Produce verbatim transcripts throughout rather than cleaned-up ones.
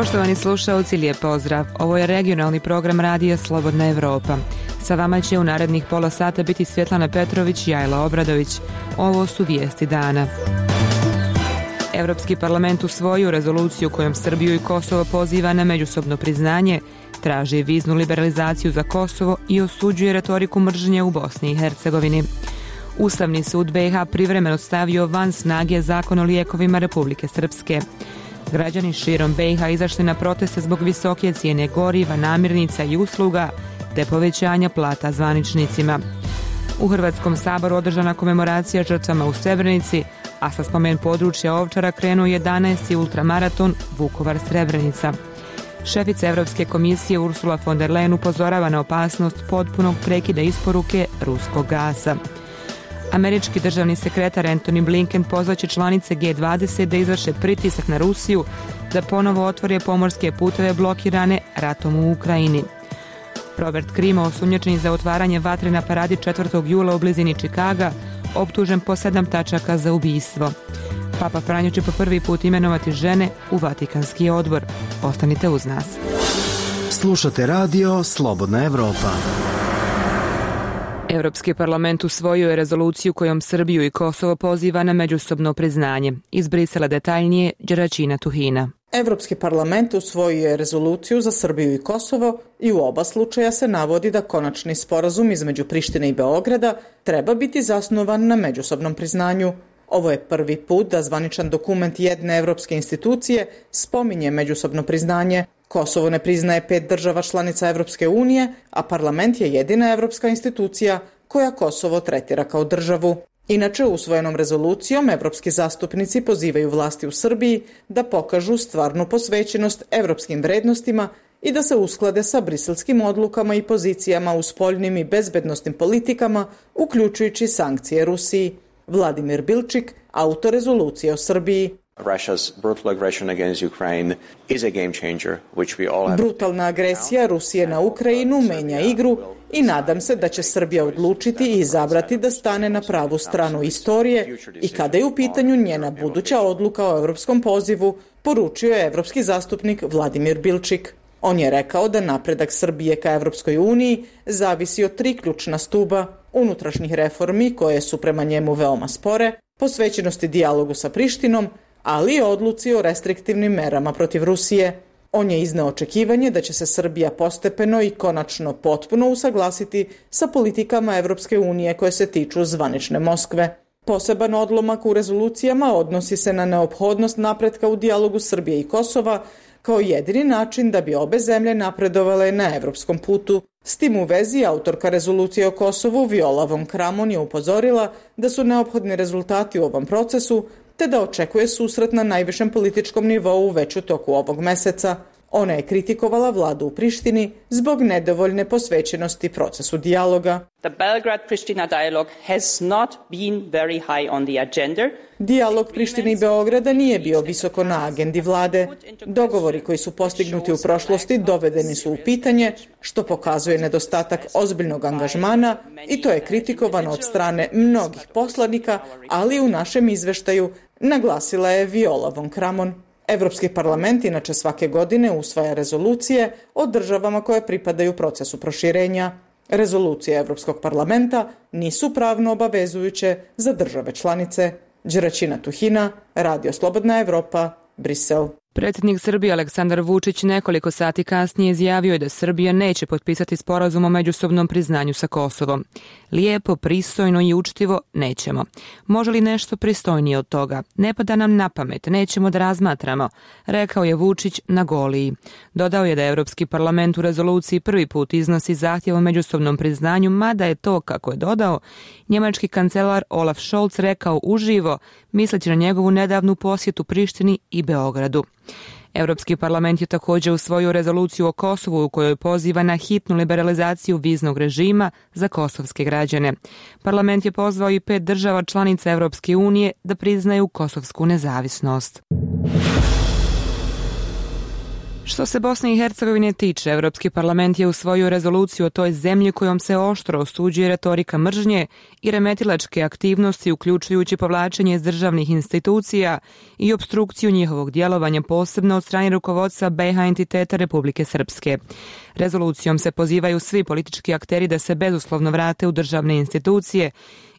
Poštovani slušaoci, lijep pozdrav. Ovo je regionalni program radija Slobodna Evropa. Sa vama će u narednih pola sata biti Svjetlana Petrović i Ajla Obradović. Ovo su vijesti dana. Evropski parlament usvojio rezoluciju kojom Srbiju i Kosovo poziva na međusobno priznanje, traži viznu liberalizaciju za Kosovo i osuđuje retoriku mržnje u Bosni i Hercegovini. Ustavni sud be i ha privremeno stavio van snage zakon o lijekovima Republike Srpske. Građani širom be i ha izašli na proteste zbog visoke cijene goriva, namirnica i usluga, te povećanja plata zvaničnicima. U Hrvatskom saboru održana komemoracija žrtvama u Srebrenici, a sa spomen područja Ovčara krenuo jedanaesti ultramaraton Vukovar-Srebrenica. Šefica Evropske komisije Ursula von der Leyen upozorava na opasnost potpunog prekida isporuke ruskog gasa. Američki državni sekretar Antony Blinken pozvaće članice ge dvadeset da izvrše pritisak na Rusiju da ponovo otvore pomorske puteve blokirane ratom u Ukrajini. Robert Crimo, osumnjičen za otvaranje vatre na paradi četvrtog jula u blizini Čikaga, optužen po sedam tačaka za ubistvo. Papa Franjo će po prvi put imenovati žene u Vatikanski odbor. Ostanite uz nas. Slušate radio Slobodna Evropa. Europski parlament usvojio je rezoluciju kojom Srbiju i Kosovo poziva na međusobno priznanje. Iz Brisela detaljnije Đeračina Tuhina. Evropski parlament usvojio je rezoluciju za Srbiju i Kosovo i u oba slučaja se navodi da konačni sporazum između Prištine i Beograda treba biti zasnovan na međusobnom priznanju. Ovo je prvi put da zvaničan dokument jedne evropske institucije spominje međusobno priznanje. Kosovo ne priznaje pet država članica Evropske unije, a parlament je jedina evropska institucija koja Kosovo tretira kao državu. Inače, usvojenom rezolucijom evropski zastupnici pozivaju vlasti u Srbiji da pokažu stvarnu posvećenost evropskim vrednostima i da se usklade sa briselskim odlukama i pozicijama u spoljnim i bezbednosnim politikama, uključujući sankcije Rusiji. Vladimir Bilčik, autor rezolucije o Srbiji. Russia's brutal aggression against Ukraine is a game changer, which we all have. Brutalna agresija Rusije na Ukrajinu menja igru i nadam se da će Srbija odlučiti i izabrati da stane na pravu stranu istorije i kada je u pitanju njena buduća odluka o evropskom pozivu, poručio je evropski zastupnik Vladimir Bilčik. On je rekao da napredak Srbije ka Evropskoj uniji zavisi od tri ključna stuba: unutrašnjih reformi koje su prema njemu veoma spore, posvećenosti dijalogu sa Prištinom, ali i odluci o restriktivnim merama protiv Rusije. On je izneo očekivanje da će se Srbija postepeno i konačno potpuno usaglasiti sa politikama Evropske unije koje se tiču zvanične Moskve. Poseban odlomak u rezolucijama odnosi se na neophodnost napretka u dijalogu Srbije i Kosova kao jedini način da bi obe zemlje napredovale na evropskom putu. S tim u vezi, autorka rezolucije o Kosovu Viola von Kramon je upozorila da su neophodni rezultati u ovom procesu, te da očekuje susret na najvišem političkom nivou već u toku ovog meseca. Ona je kritikovala vladu u Prištini zbog nedovoljne posvećenosti procesu dijaloga. The Belgrade-Pristina dialogue has not been very high on the agenda. Dijalog Prištine i Beograda nije bio visoko na agendi vlade. Dogovori koji su postignuti u prošlosti dovedeni su u pitanje, što pokazuje nedostatak ozbiljnog angažmana i to je kritikovano od strane mnogih poslanika, ali u našem izveštaju naglasila je Viola von Kramon. Evropski parlament inače svake godine usvaja rezolucije o državama koje pripadaju procesu proširenja. Rezolucije Evropskog parlamenta nisu pravno obavezujuće za države članice. Đeračina Tuhina, Radio Slobodna Evropa, Brisel. Predsjednik Srbije Aleksandar Vučić nekoliko sati kasnije izjavio je da Srbija neće potpisati sporazum o međusobnom priznanju sa Kosovom. Lijepo, pristojno i učtivo nećemo. Može li nešto pristojnije od toga? Ne pada nam na pamet, nećemo da razmatramo, rekao je Vučić na Goliji. Dodao je da Evropski parlament u rezoluciji prvi put iznosi zahtjev o međusobnom priznanju, mada je to, kako je dodao, njemački kancelar Olaf Scholz rekao uživo, misleći na njegovu nedavnu posjetu Prištini i Beogradu. Europski parlament je također usvojio rezoluciju o Kosovu u kojoj poziva na hitnu liberalizaciju viznog režima za kosovske građane. Parlament je pozvao i pet država članica Europske unije da priznaju kosovsku nezavisnost. Što se Bosne i Hercegovine tiče, Europski parlament je usvojio rezoluciju o toj zemlji kojom se oštro osuđuje retorika mržnje i remetilačke aktivnosti, uključujući povlačenje iz državnih institucija i opstrukciju njihovog djelovanja, posebno od strane rukovodstva be i ha entiteta Republike Srpske. Rezolucijom se pozivaju svi politički akteri da se bezuslovno vrate u državne institucije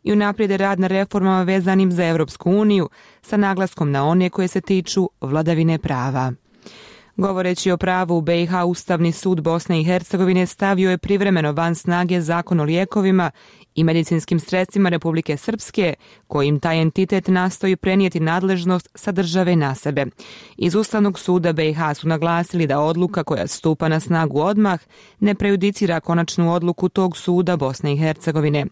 i unaprijede rad na reformama vezanim za Europsku uniju, sa naglaskom na one koje se tiču vladavine prava. Govoreći o pravu u be i ha, Ustavni sud Bosne i Hercegovine stavio je privremeno van snage Zakon o lijekovima i medicinskim sredstvima Republike Srpske, kojim taj entitet nastoji prenijeti nadležnost sa države na sebe. Iz Ustavnog suda be i ha su naglasili da odluka koja stupa na snagu odmah ne prejudicira konačnu odluku tog suda Bosne i Hercegovine.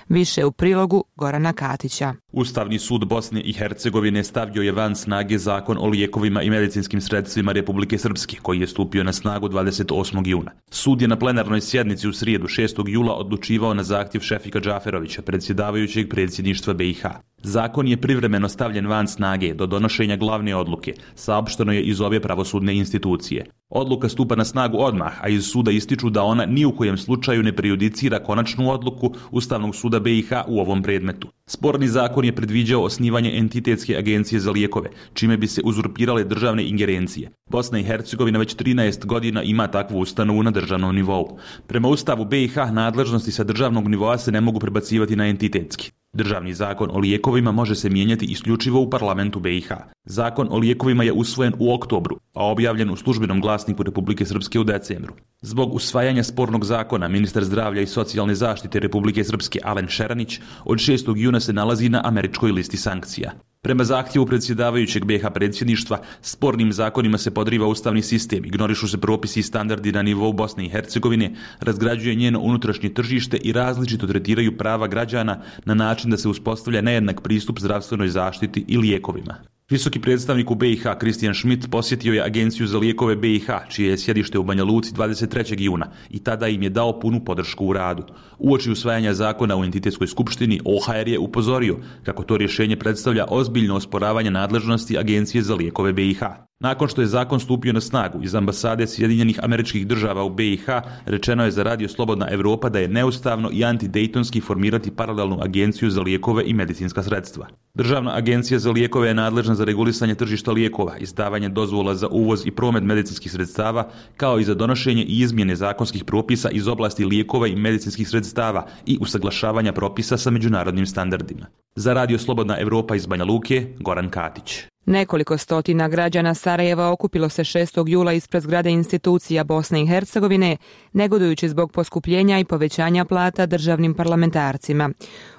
Više u prilogu Gorana Katića. Ustavni sud Bosne i Hercegovine stavio je van snage Zakon o lijekovima i medicinskim sredstvima Republike Srpske, koji je stupio na snagu dvadeset osmog juna. Sud je na plenarnoj sjednici u srijedu šestog jula odlučivao na zahtjev Šefika Džaferovića, predsjedavajućeg predsjedništva be i ha. Zakon je privremeno stavljen van snage do donošenja glavne odluke, saopšteno je iz obje pravosudne institucije. Odluka stupa na snagu odmah, a iz suda ističu da ona ni u kojem slučaju ne prejudicira konačnu odluku Ustavnog suda be i ha u ovom predmetu. Sporni zakon je predviđao osnivanje entitetske agencije za lijekove, čime bi se uzurpirale državne ingerencije. Bosna i Hercegovina već trinaest godina ima takvu ustanovu na državnom nivou. Prema Ustavu be i ha nadležnosti sa državnog nivoa se ne mogu prebacivati na entitetski. Državni zakon o lijekovima može se mijenjati isključivo u parlamentu be i ha. Zakon o lijekovima je usvojen u oktobru, a objavljen u službenom glasniku Republike Srpske u decembru. Zbog usvajanja spornog zakona, ministar zdravlja i socijalne zaštite Republike Srpske Alen Šeranić od šestog juna se nalazi na američkoj listi sankcija. Prema zahtjevu predsjedavajućeg be i ha predsjedništva, spornim zakonima se podriva ustavni sistem, ignorišu se propisi i standardi na nivou Bosne i Hercegovine, razgrađuje njeno unutrašnje tržište i različito tretiraju prava građana na način da se uspostavlja nejednak pristup zdravstvenoj zaštiti i lijekovima. Visoki predstavnik u be i ha Kristijan Schmidt posjetio je Agenciju za lijekove be i ha, čije je sjedište u Banja Luci dvadeset trećeg juna i tada im je dao punu podršku u radu. Uoči usvajanja zakona u entitetskoj skupštini, o ha er je upozorio kako to rješenje predstavlja ozbiljno osporavanje nadležnosti Agencije za lijekove be i ha. Nakon što je zakon stupio na snagu, iz ambasade Sjedinjenih Američkih Država u be i ha rečeno je za Radio Slobodna Evropa da je neustavno i antidejtonski formirati paralelnu agenciju za lijekove i medicinska sredstva. Državna agencija za lijekove je nadležna za regulisanje tržišta lijekova, izdavanje dozvola za uvoz i promet medicinskih sredstava, kao i za donošenje i izmjene zakonskih propisa iz oblasti lijekova i medicinskih sredstava i usaglašavanja propisa sa međunarodnim standardima. Za Radio Slobodna Evropa iz Banja Luke, Goran Katić. Nekoliko stotina građana Sarajeva okupilo se šestog jula ispred zgrade institucija Bosne i Hercegovine, negodujući zbog poskupljenja i povećanja plata državnim parlamentarcima.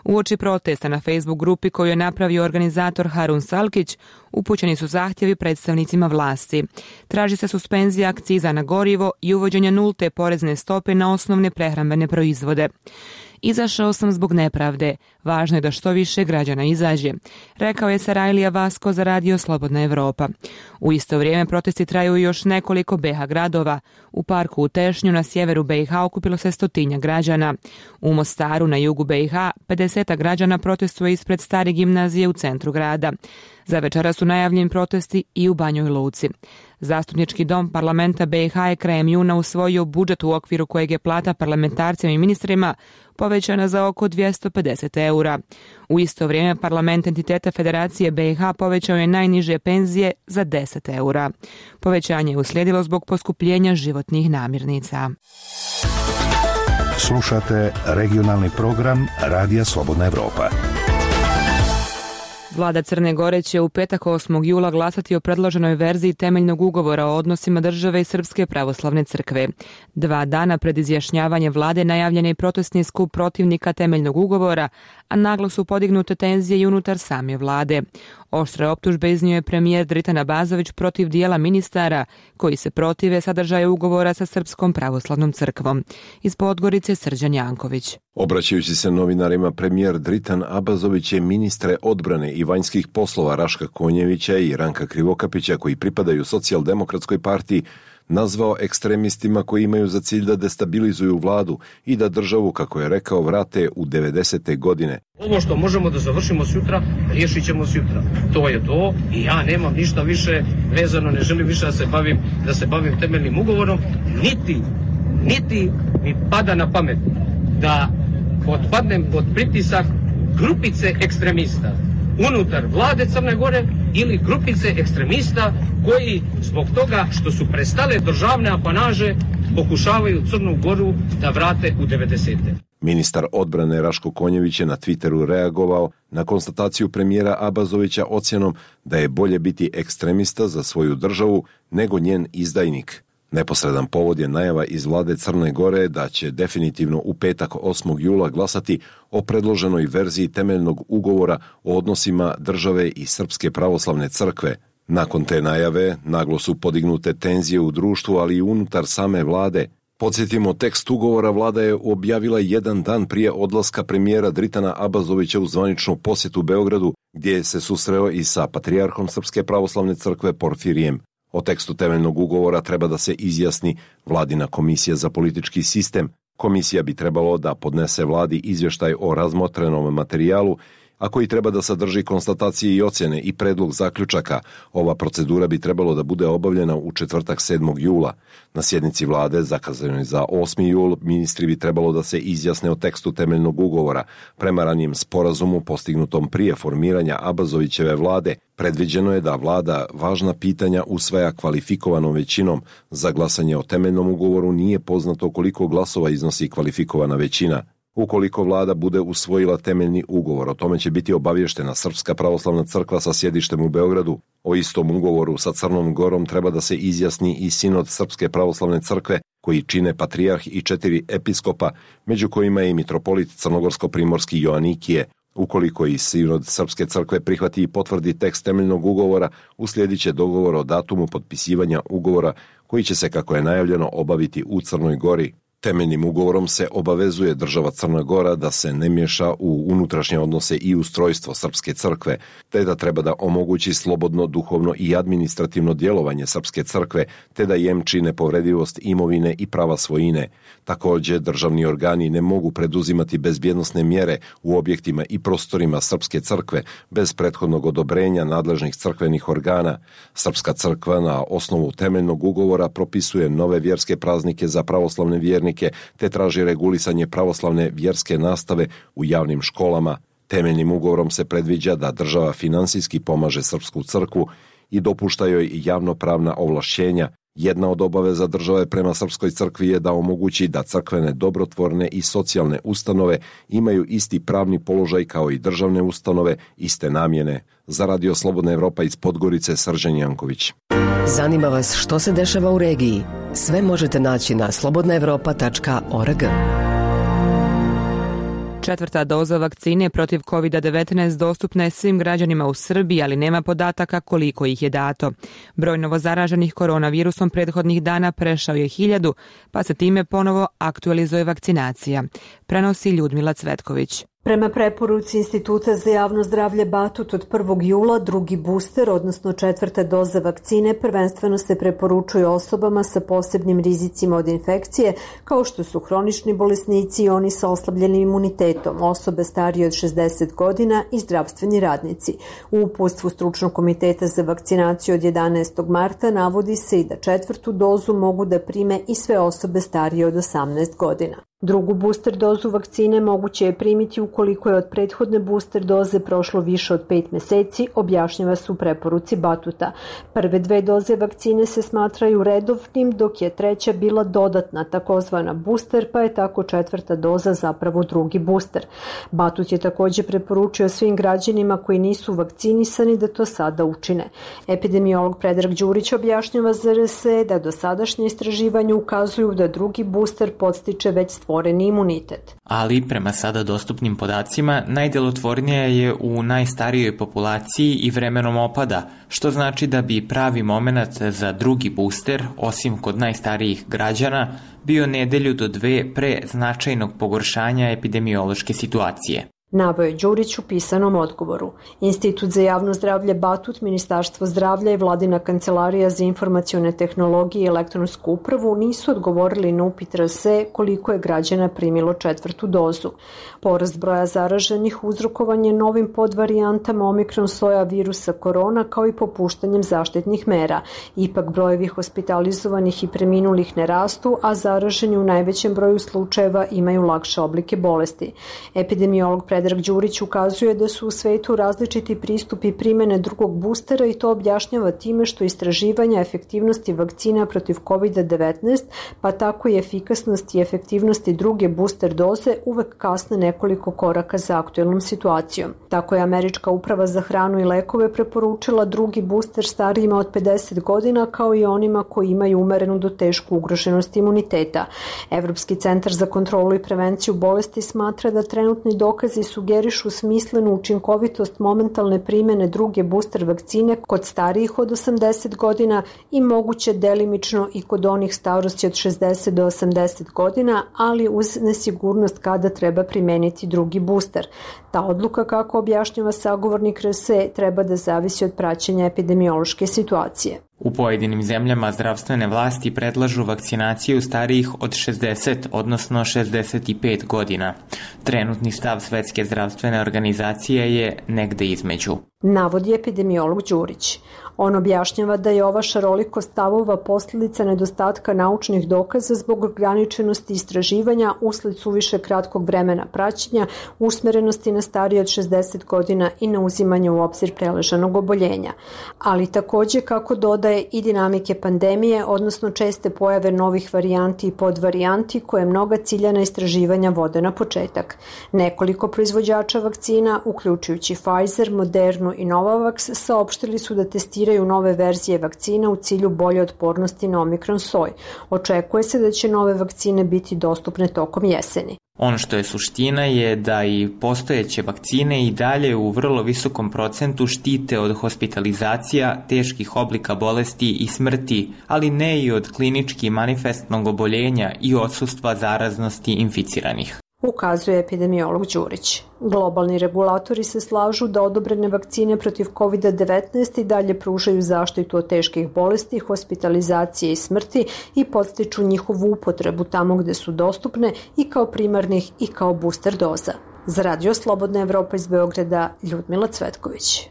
Uoči protesta na Facebook grupi koju je napravio organizator Harun Salkić, upućeni su zahtjevi predstavnicima vlasti. Traži se suspenzija akciza na gorivo i uvođenje nulte porezne stope na osnovne prehrambene proizvode. Izašao sam zbog nepravde. Važno je da što više građana izađe, rekao je Sarajlija Vasko za Radio Slobodna Evropa. U isto vrijeme protesti traju još nekoliko be i ha gradova. U parku u Tešnju na sjeveru be i ha okupilo se stotinja građana. U Mostaru na jugu be i ha pedesetak građana protestuje ispred stare gimnazije u centru grada. Za večera su najavljeni protesti i u Banjoj Luci. Zastupnički dom parlamenta be i ha je krajem juna usvojio budžet u okviru kojeg je plata parlamentarcima i ministrima povećana za oko dvjesto pedeset eura. U isto vrijeme parlament entiteta Federacije be i ha povećao je najniže penzije za deset eura. Povećanje je uslijedilo zbog poskupljenja životnih namirnica. Slušate regionalni program Radija Slobodna Evropa. Vlada Crne Gore će u petak osmog jula glasati o predloženoj verziji temeljnog ugovora o odnosima države i Srpske pravoslavne crkve. Dva dana pred izjašnjavanje vlade najavljen je protestni skup protivnika temeljnog ugovora, a naglo su podignute tenzije i unutar same vlade. Oštre optužbe iznio je premijer Dritan Abazović protiv dijela ministara koji se protive sadržaju ugovora sa Srpskom pravoslavnom crkvom. Iz Podgorice Srđan Janković. Obraćajući se novinarima, premijer Dritan Abazović je ministre odbrane i vanjskih poslova Raška Konjevića i Ranka Krivokapića, koji pripadaju Socijaldemokratskoj partiji, nazvao ekstremistima koji imaju za cilj da destabilizuju vladu i da državu, kako je rekao, vrate u devedesete godine. Ovo što možemo da završimo sutra, riješit ćemo sutra. To je to i ja nemam ništa više vezano, ne želim više da se bavim, da se bavim temeljnim ugovorom, niti, niti mi pada na pamet da potpadnem pod pritisak grupice ekstremista unutar vlade Crne Gore ili grupice ekstremista koji zbog toga što su prestale državne apanaže pokušavaju Crnu Goru da vrate u devedesete. Ministar odbrane Raško Konjević je na Twitteru reagovao na konstataciju premijera Abazovića ocjenom da je bolje biti ekstremista za svoju državu nego njen izdajnik. Neposredan povod je najava iz vlade Crne Gore da će definitivno u petak osmog jula glasati o predloženoj verziji temeljnog ugovora o odnosima države i Srpske pravoslavne crkve. Nakon te najave naglo su podignute tenzije u društvu, ali i unutar same vlade. Podsjetimo, tekst ugovora vlada je objavila jedan dan prije odlaska premijera Dritana Abazovića u zvaničnu posjetu Beogradu, gdje se susreo i sa patrijarhom Srpske pravoslavne crkve Porfirijem. O tekstu temeljnog ugovora treba da se izjasni vladina komisija za politički sistem. Komisija bi trebalo da podnese vladi izvještaj o razmotrenom materijalu, a koji treba da sadrži konstatacije i ocjene i predlog zaključaka. Ova procedura bi trebalo da bude obavljena u četvrtak sedmog jula. Na sjednici vlade, zakazanoj za osmi jul, ministri bi trebalo da se izjasne o tekstu temeljnog ugovora. Prema ranijem sporazumu postignutom prije formiranja Abazovićeve vlade, predviđeno je da vlada važna pitanja usvaja kvalifikovanom većinom. Za glasanje o temeljnom ugovoru nije poznato koliko glasova iznosi kvalifikovana većina. Ukoliko vlada bude usvojila temeljni ugovor, o tome će biti obavještena Srpska pravoslavna crkva sa sjedištem u Beogradu. O istom ugovoru sa Crnom Gorom treba da se izjasni i sinod Srpske pravoslavne crkve, koji čine patrijarh i četiri episkopa, među kojima je i mitropolit crnogorsko-primorski Joanikije. Ukoliko i sinod Srpske crkve prihvati i potvrdi tekst temeljnog ugovora, uslijedit će dogovor o datumu potpisivanja ugovora, koji će se, kako je najavljeno, obaviti u Crnoj Gori. Temeljnim ugovorom se obavezuje država Crna Gora da se ne miješa u unutrašnje odnose i ustrojstvo Srpske crkve, te da treba da omogući slobodno duhovno i administrativno djelovanje Srpske crkve, te da jemči nepovredivost imovine i prava svojine. Također, državni organi ne mogu preduzimati bezbjednosne mjere u objektima i prostorima Srpske crkve bez prethodnog odobrenja nadležnih crkvenih organa. Srpska crkva na osnovu temeljnog ugovora propisuje nove vjerske praznike za pravoslavne vjernike, te traži regulisanje pravoslavne vjerske nastave u javnim školama. Temeljnim ugovorom se predviđa da država finansijski pomaže Srpsku crkvu i dopušta joj javnopravna ovlašćenja. Jedna od obaveza države prema Srpskoj crkvi je da omogući da crkvene dobrotvorne i socijalne ustanove imaju isti pravni položaj kao i državne ustanove iste namjene. Za Radio Slobodna Evropa iz Podgorice, Srđan Janković. Zanima vas što se dešava u regiji? Sve možete naći na slobodna evropa tačka org. Četvrta doza vakcine protiv kovid devetnaest dostupna je svim građanima u Srbiji, ali nema podataka koliko ih je dato. Broj novozaraženih koronavirusom prethodnih dana prešao je hiljadu, pa se time ponovo aktualizuje vakcinacija. Prenosi Ljudmila Cvetković. Prema preporuci Instituta za javno zdravlje Batut od prvog jula drugi booster, odnosno četvrta doza vakcine, prvenstveno se preporučuje osobama sa posebnim rizicima od infekcije, kao što su hronični bolesnici i oni sa oslabljenim imunitetom, osobe starije od šezdeset godina i zdravstveni radnici. U uputstvu Stručnog komiteta za vakcinaciju od jedanaestog marta navodi se i da četvrtu dozu mogu da prime i sve osobe starije od osamnaest godina. Drugu booster dozu vakcine moguće je primiti ukoliko je od prethodne booster doze prošlo više od pet meseci, objašnjava se u preporuci Batuta. Prve dve doze vakcine se smatraju redovnim, dok je treća bila dodatna, takozvana booster, pa je tako četvrta doza zapravo drugi booster. Batut je također preporučio svim građanima koji nisu vakcinisani da to sada učine. Epidemiolog Predrag Đurić objašnjava za R S E da dosadašnje istraživanje ukazuju da drugi booster podstiče već stvoreni imunitet. Ali prema sada dostupnim podacima najdjelotvornija je u najstarijoj populaciji i vremenom opada, što znači da bi pravi momenat za drugi booster, osim kod najstarijih građana, bio nedelju do dve pre značajnog pogoršanja epidemiološke situacije. Naveo je Đurić u pisanom odgovoru. Institut za javno zdravlje Batut, Ministarstvo zdravlja i Vladina kancelarija za informacione tehnologije i elektronsku upravu nisu odgovorili na upit R S E koliko je građana primilo četvrtu dozu. Porast broja zaraženih uzrokovan je novim podvarijantama omikron soja virusa korona kao i popuštanjem zaštitnih mera. Ipak brojevi hospitalizovanih i preminulih ne rastu, a zaraženi u najvećem broju slučajeva imaju lakše oblike bolesti. Epidemiolog Predrag Đurić ukazuje da su u svetu različiti pristupi primene drugog boostera i to objašnjava time što istraživanja efektivnosti vakcina protiv kovid devetnaest, pa tako i efikasnosti i efektivnosti druge booster doze uvek kasne nekoliko koraka za aktuelnom situacijom. Tako je Američka uprava za hranu i lekove preporučila drugi booster starijima od pedeset godina kao i onima koji imaju umerenu do tešku ugroženost imuniteta. Evropski centar za kontrolu i prevenciju bolesti smatra da trenutni dokazi sugerišu smislenu učinkovitost momentalne primene druge booster vakcine kod starijih od osamdeset godina i moguće delimično i kod onih starosti od šezdeset do osamdeset godina, ali uz nesigurnost kada treba primeniti drugi booster. Ta odluka, kako objašnjava sagovornik R S E, treba da zavisi od praćenja epidemiološke situacije. U pojedinim zemljama zdravstvene vlasti predlažu vakcinaciju starijih od šezdeset, odnosno šezdeset pet godina. Trenutni stav Svetske zdravstvene organizacije je negde između. Navodi epidemiolog Đurić. On objašnjava da je ova šarolikost stavova posljedica nedostatka naučnih dokaza zbog ograničenosti istraživanja usled suviše kratkog vremena praćenja, usmerenosti na starije od šezdeset godina i na uzimanje u obzir preležanog oboljenja. Ali takođe, kako dodaje, i dinamike pandemije, odnosno česte pojave novih varijanti i podvarijanti koje mnoga ciljana istraživanja vode na početak. Nekoliko proizvođača vakcina, uključujući Pfizer, Modernu i Novavax, saopštili su da testiraju nove verzije vakcina u cilju bolje otpornosti na omikron soj. Očekuje se da će nove vakcine biti dostupne tokom jeseni. Ono što je suština je da i postojeće vakcine i dalje u vrlo visokom procentu štite od hospitalizacija, teških oblika bolesti i smrti, ali ne i od klinički manifestnog oboljenja i odsustva zaraznosti inficiranih. Ukazuje epidemiolog Đurić. Globalni regulatori se slažu da odobrene vakcine protiv kovid devetnaest i dalje pružaju zaštitu od teških bolesti, hospitalizacije i smrti i podstiču njihovu upotrebu tamo gde su dostupne i kao primarnih i kao booster doza. Za Radio Slobodna Evropa iz Beograda, Ljudmila Cvetković.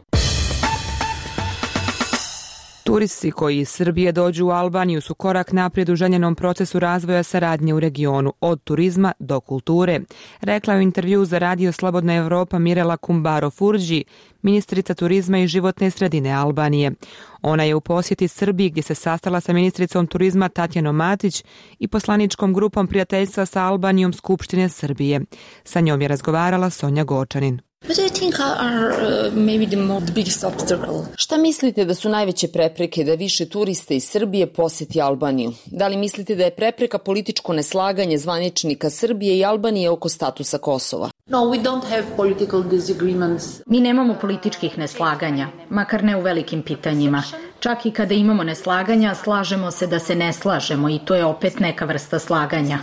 Turisti koji iz Srbije dođu u Albaniju su korak naprijed u željenom procesu razvoja saradnje u regionu, od turizma do kulture, rekla je u intervju za Radio Slobodna Evropa Mirela Kumbaro Furđi, ministrica turizma i životne sredine Albanije. Ona je u posjeti Srbiji gdje se sastala sa ministricom turizma Tatjanom Matić i poslaničkom grupom prijateljstva sa Albanijom Skupštine Srbije. Sa njom je razgovarala Sonja Gočanin. Šta mislite da su najveće prepreke da više turista iz Srbije poseti Albaniju? Da li mislite da je prepreka političko neslaganje zvaničnika Srbije i Albanije oko statusa Kosova? No, we don't have political disagreements. Mi nemamo političkih neslaganja, makar ne u velikim pitanjima. Čak i kada imamo neslaganja, slažemo se da se ne slažemo i to je opet neka vrsta slaganja.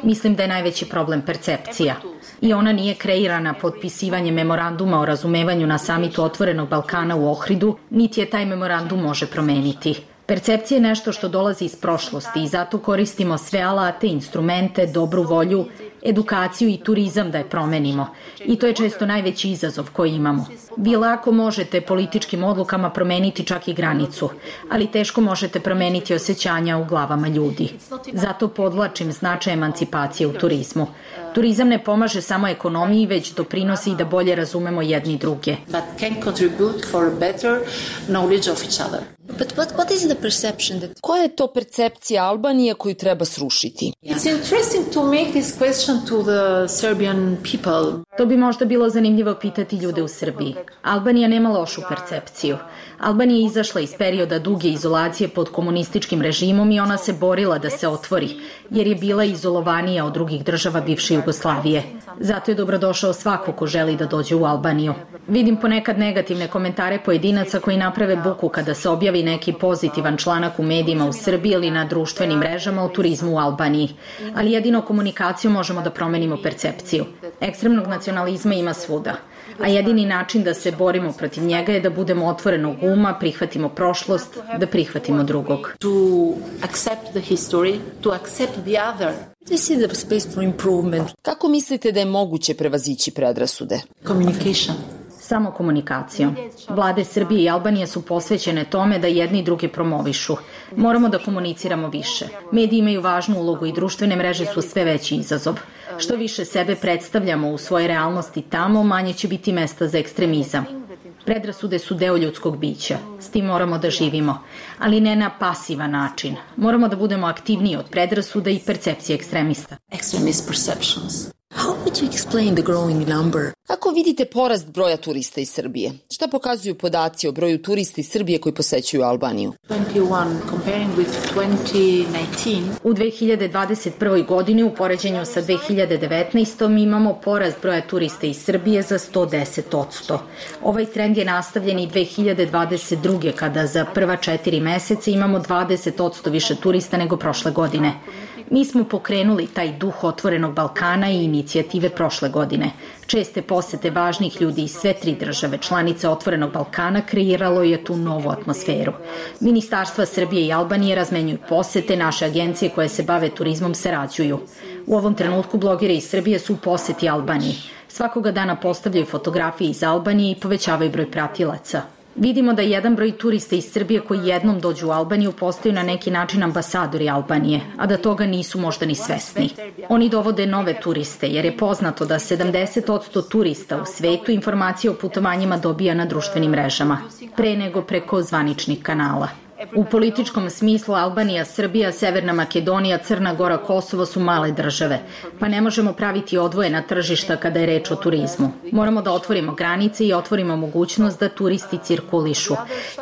Mislim da je najveći problem percepcija. I ona nije kreirana potpisivanjem memoranduma o razumevanju na samitu Otvorenog Balkana u Ohridu, niti je taj memorandum može promeniti. Percepcija je nešto što dolazi iz prošlosti i zato koristimo sve alate, instrumente, dobru volju, edukaciju i turizam da je promenimo. I to je često najveći izazov koji imamo. Vi lako možete političkim odlukama promeniti čak i granicu, ali teško možete promeniti osjećanja u glavama ljudi. Zato podvlačim značaj emancipacije u turizmu. Turizam ne pomaže samo ekonomiji, već doprinosi i da bolje razumemo jedni druge. But can contribute for a better knowledge of each other. But what, what is the perception that... Koja je to percepcija Albanije koju treba srušiti? It's interesting to make this question to the Serbian people. To bi možda bilo zanimljivo pitati ljude u Srbiji. Albanija nema lošu percepciju. Albanija je izašla iz perioda duge izolacije pod komunističkim režimom i ona se borila da se otvori, jer je bila izolovanija od drugih država bivše Jugoslavije. Zato je dobrodošao svako ko želi da dođe u Albaniju. Vidim ponekad negativne komentare pojedinaca koji naprave buku kada se objavi neki pozitivan članak u medijima u Srbiji ili na društvenim mrežama o turizmu u Albaniji. Ali jedino komunikacijom možemo da promenimo percepciju. Ekstremnog nacionalizma ima svuda. A jedini način da se borimo protiv njega je da budemo otvorenog uma, prihvatimo prošlost, da prihvatimo drugog. To accept the history, to accept the other. This is the space for improvement. Kako mislite da je moguće prevazići predrasude? Communication. Samo komunikacijom. Vlade Srbije i Albanije su posvećene tome da jedni i drugi promovišu. Moramo da komuniciramo više. Mediji imaju važnu ulogu i društvene mreže su sve veći izazov. Što više sebe predstavljamo u svojoj realnosti tamo, manje će biti mesta za ekstremizam. Predrasude su deo ljudskog bića. S tim moramo da živimo. Ali ne na pasivan način. Moramo da budemo aktivniji od predrasuda i percepcije ekstremista. Extremist perceptions. How would you explain the growing number? Kako vidite porast broja turista iz Srbije? Šta pokazuju podaci o broju turista iz Srbije koji posećuju Albaniju? twenty one comparing with twenty nineteen. U dve hiljade dvadeset prvoj. godini u poređenju sa dve hiljade devetnaestom. imamo porast broja turista iz Srbije za sto deset posto. Ovaj trend je nastavljen i dve hiljade dvadeset druge. kada za prva četiri meseca imamo dvadeset posto više turista nego prošle godine. Mi smo pokrenuli taj duh otvorenog Balkana i inicijative prošle godine. Česte posete važnih ljudi iz sve tri države, članice Otvorenog Balkana, kreiralo je tu novu atmosferu. Ministarstva Srbije i Albanije razmenjuju posete, naše agencije koje se bave turizmom sarađuju. U ovom trenutku blogeri iz Srbije su u poseti Albaniji. Svakoga dana postavljaju fotografije iz Albanije i povećavaju broj pratilaca. Vidimo da jedan broj turista iz Srbije koji jednom dođu u Albaniju postaju na neki način ambasadori Albanije, a da toga nisu možda ni svesni. Oni dovode nove turiste jer je poznato da sedamdeset posto turista u svetu informacije o putovanjima dobija na društvenim mrežama, pre nego preko zvaničnih kanala. U političkom smislu Albanija, Srbija, Severna Makedonija, Crna Gora, Kosovo su male države, pa ne možemo praviti odvojena tržišta kada je reč o turizmu. Moramo da otvorimo granice i otvorimo mogućnost da turisti cirkulišu.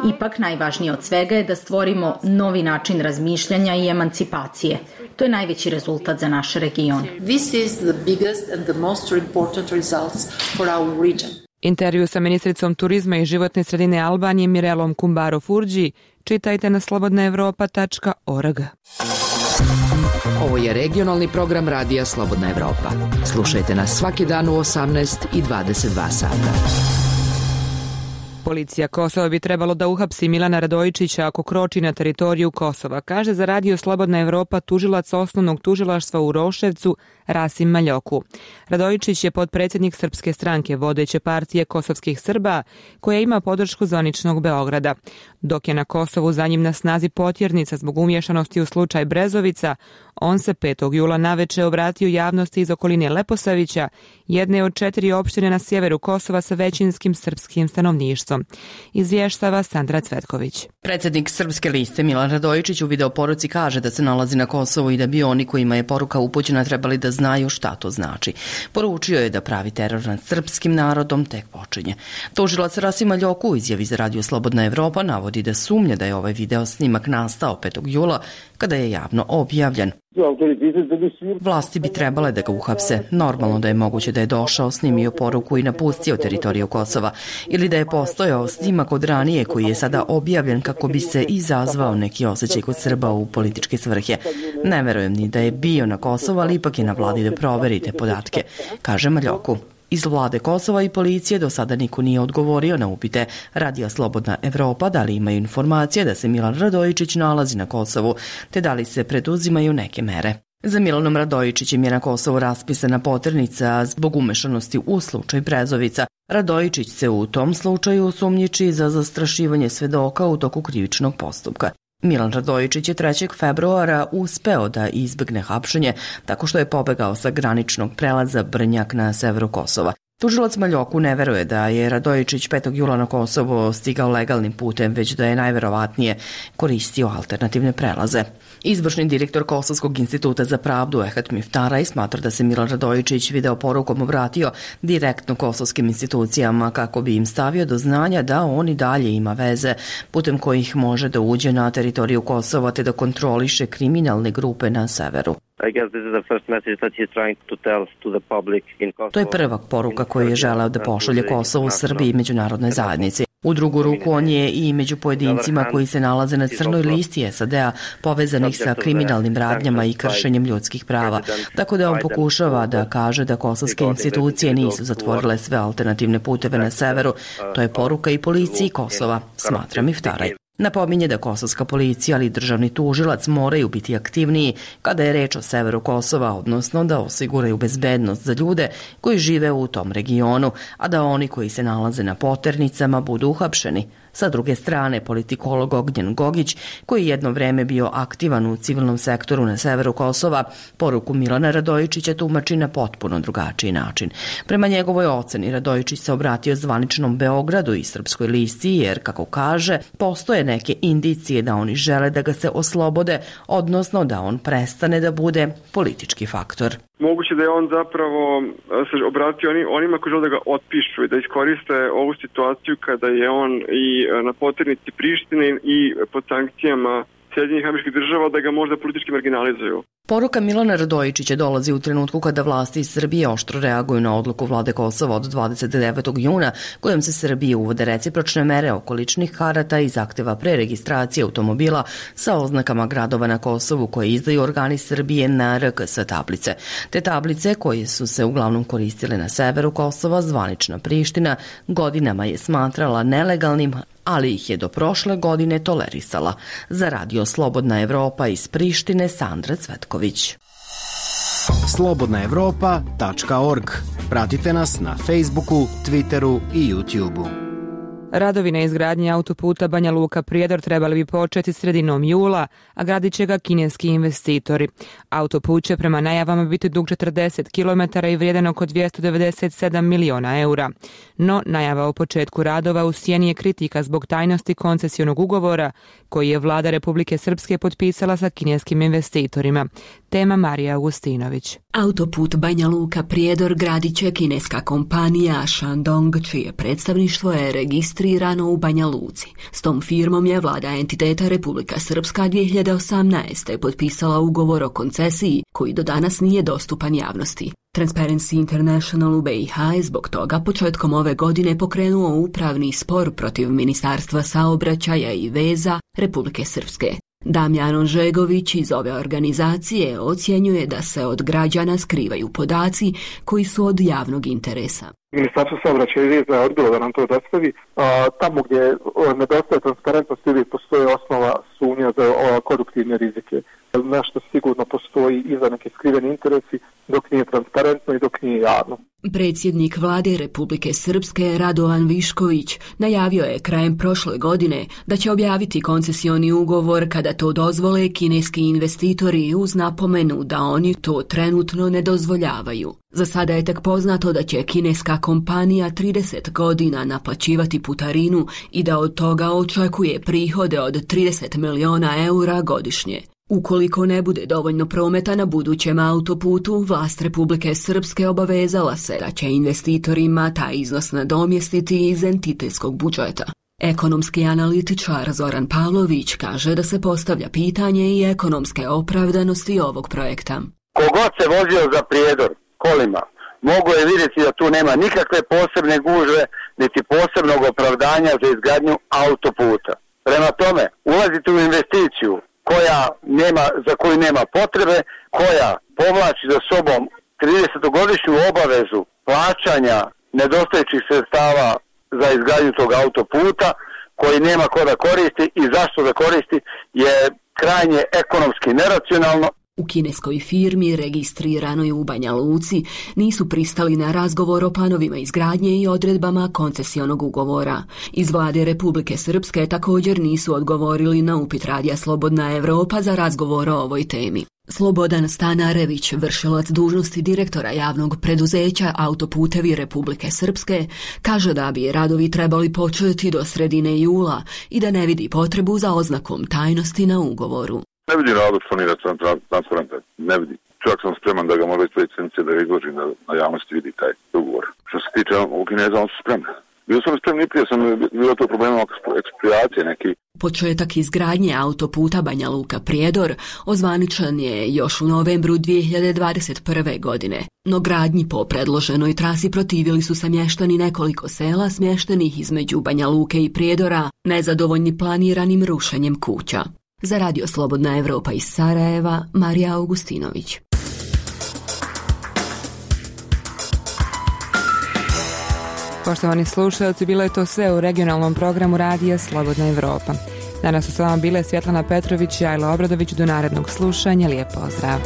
Ipak najvažnije od svega je da stvorimo novi način razmišljanja i emancipacije. To je najveći rezultat za naš region. This is the biggest and the most important results for our region. Intervju sa ministricom turizma i životne sredine Albanije Mirelom Kumbaro Furđi čitajte na slobodna evropa tačka org. Ovo je regionalni program radija Slobodna Evropa. Slušajte nas svaki dan u osamnaest i dvadeset dva sata. Policija Kosova bi trebalo da uhapsi Milana Radojičića ako kroči na teritoriju Kosova, kaže za radio Slobodna Evropa tužilac osnovnog tužilaštva u Roševcu Rasim Maljoku. Radojičić je potpredsjednik Srpske stranke, vodeće partije kosovskih Srba, koja ima podršku zvaničnog Beograda. Dok je na Kosovu za njim na snazi potjernica zbog umješanosti u slučaj Brezovica, on se petog jula naveče obratio javnosti iz okoline Leposavića, jedne od četiri opštine na sjeveru Kosova sa većinskim srpskim stanovništvom. Izvještava Sandra Cvetković. Predsjednik Srpske liste Milan Radojičić u videoporuci kaže da se nalazi na Kosovu i da bi oni kojima je poruka upućena trebali da znaju šta to znači. Poručio je da pravi teror nad srpskim narodom tek počinje. Tužilac Rasim Maljoku u izjavi za radio Slobodna Evropa navodi da sumnja da je ovaj video snimak nastao petog jula kada je javno objavljen. Vlasti bi trebale da ga uhapse. Normalno da je moguće da je došao, snimio poruku i napustio teritoriju Kosova ili da je postojao snimak od ranije koji je sada objavljen kako bi se izazvao neki osjećaj kod Srba u političke svrhe. Ne verujem ni da je bio na Kosovu, ali ipak je na vladi da proverite podatke, kaže Maljoku. Iz vlade Kosova i policije do sada niko nije odgovorio na upite radija Slobodna Evropa da li imaju informacije da se Milan Radojičić nalazi na Kosovu, te da li se preduzimaju neke mere. Za Milanom Radojičićem je na Kosovu raspisana poternica zbog umešanosti u slučaj Brezovica. Radojičić se u tom slučaju osumnjiči za zastrašivanje svedoka u toku krivičnog postupka. Milan Radojičić je trećeg februara uspeo da izbegne hapšenje tako što je pobegao sa graničnog prelaza Brnjak na severu Kosova. Tužilac Maljoku ne veruje da je Radojičić petog jula na Kosovo stigao legalnim putem, već da je najverovatnije koristio alternativne prelaze. Izvršni direktor Kosovskog instituta za pravdu Ehat Miftaraj smatra da se Milan Radojičić video porukom obratio direktno kosovskim institucijama kako bi im stavio do znanja da on i dalje ima veze putem kojih može da uđe na teritoriju Kosova te da kontroliše kriminalne grupe na severu. To je prva poruka koju je želeo da pošalje Kosovu, Srbiji i međunarodnoj zajednici. U drugu ruku on je i među pojedincima koji se nalaze na crnoj listi S A D-a povezanih sa kriminalnim radnjama i kršenjem ljudskih prava, tako da on pokušava da kaže da kosovske institucije nisu zatvorile sve alternativne puteve na severu. To je poruka i policiji Kosova, smatra Miftaraj. Napominje da kosovska policija ali i državni tužilac moraju biti aktivniji kada je reč o severu Kosova, odnosno da osiguraju bezbednost za ljude koji žive u tom regionu, a da oni koji se nalaze na poternicama budu uhapšeni. Sa druge strane, politikolog Ognjen Gogić, koji je jedno vreme bio aktivan u civilnom sektoru na severu Kosova, poruku Milana Radojičića tumači na potpuno drugačiji način. Prema njegovoj oceni, Radojičić se obratio zvaničnom Beogradu i Srpskoj listi jer, kako kaže, postoje neke indicije da oni žele da ga se oslobode, odnosno da on prestane da bude politički faktor. Moguće da je on zapravo se obratio onima koji žele da ga otpišu i da iskoriste ovu situaciju kada je on i na poternici Prištine i pod sankcijama Sjedinjenih Američkih Država da ga možda politički marginalizuju. Poruka Milana Radojičića dolazi u trenutku kada vlasti iz Srbije oštro reaguju na odluku vlade Kosova od dvadeset devetog juna kojom se Srbiji uvode recipročne mere oko ličnih karata i zahteva preregistracije automobila sa oznakama gradova na Kosovu koje izdaju organi Srbije na R K S tablice. Te tablice koje su se uglavnom koristile na severu Kosova, zvanična Priština godinama je smatrala nelegalnim, ali ih je do prošle godine tolerisala. Za Radio Slobodna Evropa iz Prištine, Sandra Cvetković. slobodna evropa tačka org. Pratite nas na Facebooku, Twitteru i YouTubeu. Radovi na izgradnji autoputa Banja Luka-Prijedor trebali bi početi sredinom jula, a gradit će ga kineski investitori. Autoput će prema najavama biti dug četrdeset kilometara i vrijedan oko dvjesto devedeset sedam miliona eura. No, najava o početku radova u sjeni je kritika zbog tajnosti koncesionog ugovora koji je vlada Republike Srpske potpisala sa kineskim investitorima. Tema Marija Augustinović. Autoput Banja Luka-Prijedor gradit će kineska kompanija Shandong, čije predstavništvo je registrirano u Banja Luci. S tom firmom je vlada entiteta Republika Srpska dvije hiljade osamnaeste. potpisala ugovor o koncesiji koji do danas nije dostupan javnosti. Transparency International u B i H je zbog toga početkom ove godine pokrenuo upravni spor protiv Ministarstva saobraćaja i veza Republike Srpske. Damjan Ožegović iz ove organizacije ocjenjuje da se od građana skrivaju podaci koji su od javnog interesa. Ministarstvo saobraćaja i veza je odbilo da nam to dostavi. A, tamo gdje nedostaje transparentnosti uvijek postoje osnova sumnja za o, koruptivne rizike. Nešto sigurno postoji i za neke skriveni interesi dok nije transparentno i dok nije javno. Predsjednik vlade Republike Srpske Radovan Višković najavio je krajem prošle godine da će objaviti koncesioni ugovor kada to dozvole kineski investitori uz napomenu da oni to trenutno ne dozvoljavaju. Za sada je tek poznato da će kineska kompanija trideset godina naplaćivati putarinu i da od toga očekuje prihode od trideset miliona eura godišnje. Ukoliko ne bude dovoljno prometa na budućem autoputu, vlast Republike Srpske obavezala se da će investitorima taj iznos nadomjestiti iz entitetskog budžeta. Ekonomski analitičar Zoran Pavlović kaže da se postavlja pitanje i ekonomske opravdanosti ovog projekta. Kogod se vozio za Prijedor kolima, mogu je vidjeti da tu nema nikakve posebne gužve, niti posebnog opravdanja za izgradnju autoputa. Prema tome, ulaziti u investiciju koja nema, za koju nema potrebe, koja povlači za sobom tridesetogodišnju obavezu plaćanja nedostajućih sredstava za izgradnju tog autoputa, koji nema ko da koristi i zašto da koristi, je krajnje ekonomski neracionalno. U kineskoj firmi registriranoj u Banja Luci nisu pristali na razgovor o planovima izgradnje i odredbama koncesionog ugovora. Iz vlade Republike Srpske također nisu odgovorili na upit Radija Slobodna Evropa za razgovor o ovoj temi. Slobodan Stanarević, vršilac dužnosti direktora javnog preduzeća Autoputevi Republike Srpske, kaže da bi radovi trebali početi do sredine jula i da ne vidi potrebu za oznakom tajnosti na ugovoru. Ne vidim razlog što nije transparentan, ne vidim. Čak sam spreman da ga možda iz licencije da ga izložim da na javnosti vidi taj ugovor. Što se tiče u Kineza, on su spremni. Bio sam spremni, prije sam bilo to problema ekspropriacije neki. Početak izgradnje autoputa Banja Luka Prijedor ozvaničan je još u novembru dvije hiljade dvadeset prve. godine. No gradnji po predloženoj trasi protivili su se mještani nekoliko sela smještenih između Banja Luke i Prijedora, nezadovoljni planiranim rušenjem kuća. Za Radio Slobodna Evropa iz Sarajeva, Marija Augustinović. Poštovani slušalci, bilo je to sve u regionalnom programu Radija Slobodna Evropa. Danas su s vama bile Svjetlana Petrović i Ajla Obradović. Do narednog slušanja, lijep pozdrav.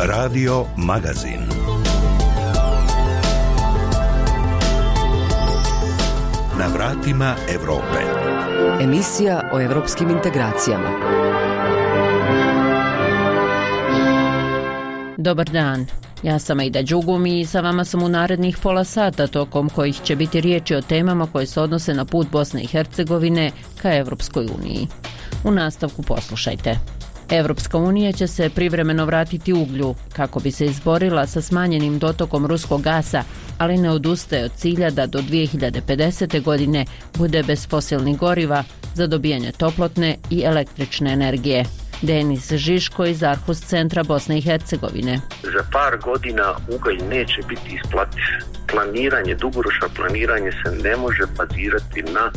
Radio Magazin. Na vratima Evrope. Emisija o evropskim integracijama. Dobar dan. Ja sam Aida Đugum i sa vama sam u narednih pola sata, tokom kojih će biti riječi o temama koje se odnose na put Bosne i Hercegovine ka Evropskoj uniji. U nastavku poslušajte. Evropska unija će se privremeno vratiti uglju kako bi se izborila sa smanjenim dotokom ruskog gasa, ali ne odustaje od cilja da do dvije hiljade pedesete. godine bude bez fosilnih goriva za dobijanje toplotne i električne energije. Denis Žiško iz Arhus centra Bosne i Hercegovine. Za par godina ugalj neće biti isplativ. Planiranje, dugoročno planiranje se ne može bazirati na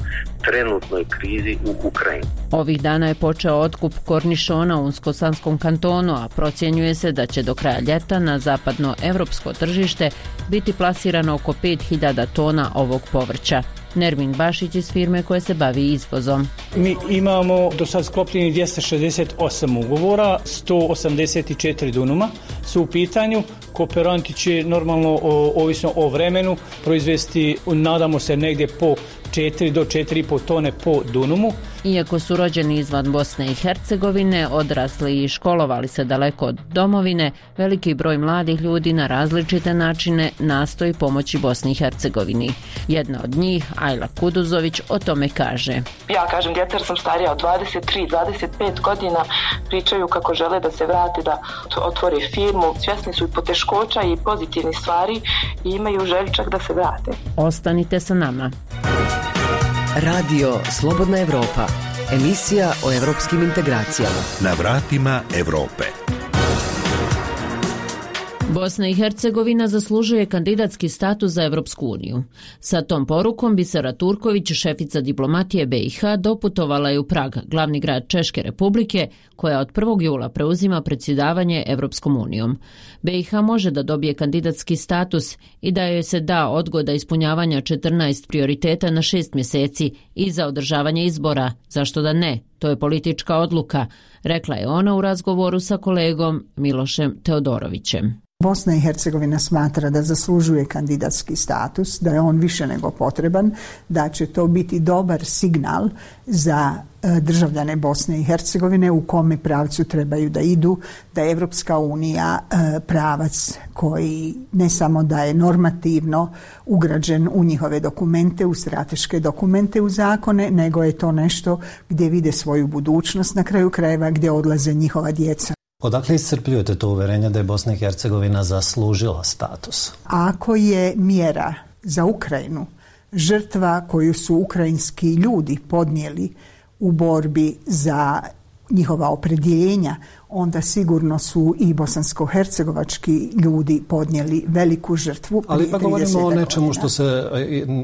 trenutnoj krizi u Ukrajini. Ovih dana je počeo otkup kornišona u Unsko-Sanskom kantonu, a procjenjuje se da će do kraja ljeta na zapadno evropsko tržište biti plasirano oko pet hiljada tona ovog povrća. Nermin Bašić iz firme koja se bavi izvozom. Mi imamo do sad sklopljeni dvjesto šezdeset osam ugovora, sto osamdeset četiri dunuma su u pitanju. Kooperanti će normalno, o, ovisno o vremenu, proizvesti, nadamo se, negdje po četiri do četiri i pol tone po dunumu. Iako su rođeni izvan Bosne i Hercegovine, odrasli i školovali se daleko od domovine, veliki broj mladih ljudi na različite načine nastoji pomoći Bosni i Hercegovini. Jedna od njih, Ajla Kuduzović, o tome kaže. Ja kažem djeca jer sam starija od dvadeset tri dvadeset pet godina, pričaju kako žele da se vrate, da otvore firmu, svjesni su i poteškoća i pozitivnih stvari i imaju želju čak da se vrate. Ostanite sa nama. Radio Slobodna Evropa. Emisija o evropskim integracijama. Na vratima Evrope. Bosna i Hercegovina zaslužuje kandidatski status za Evropsku uniju. Sa tom porukom Bisera Turković, šefica diplomatije B i H, doputovala je u Prag, glavni grad Češke republike, koja od prvog jula preuzima predsjedavanje Evropskom unijom. B i H može da dobije kandidatski status i da joj se da odgoda ispunjavanja četrnaest prioriteta na šest mjeseci i za održavanje izbora. Zašto da ne? To je politička odluka, rekla je ona u razgovoru sa kolegom Milošem Teodorovićem. Bosna i Hercegovina smatra da zaslužuje kandidatski status, da je on više nego potreban, da će to biti dobar signal za državljane Bosne i Hercegovine u kome pravcu trebaju da idu, da je Evropska unija pravac koji ne samo da je normativno ugrađen u njihove dokumente, u strateške dokumente, u zakone, nego je to nešto gdje vide svoju budućnost, na kraju krajeva gdje odlaze njihova djeca. Odakle iscrpljujete to uverenje da je Bosna i Hercegovina zaslužila status? Ako je mjera za Ukrajinu žrtva koju su ukrajinski ljudi podnijeli u borbi za njihova opredjeljenja, onda sigurno su i bosansko-hercegovački ljudi podnijeli veliku žrtvu. Ali pa govorimo o nečemu što se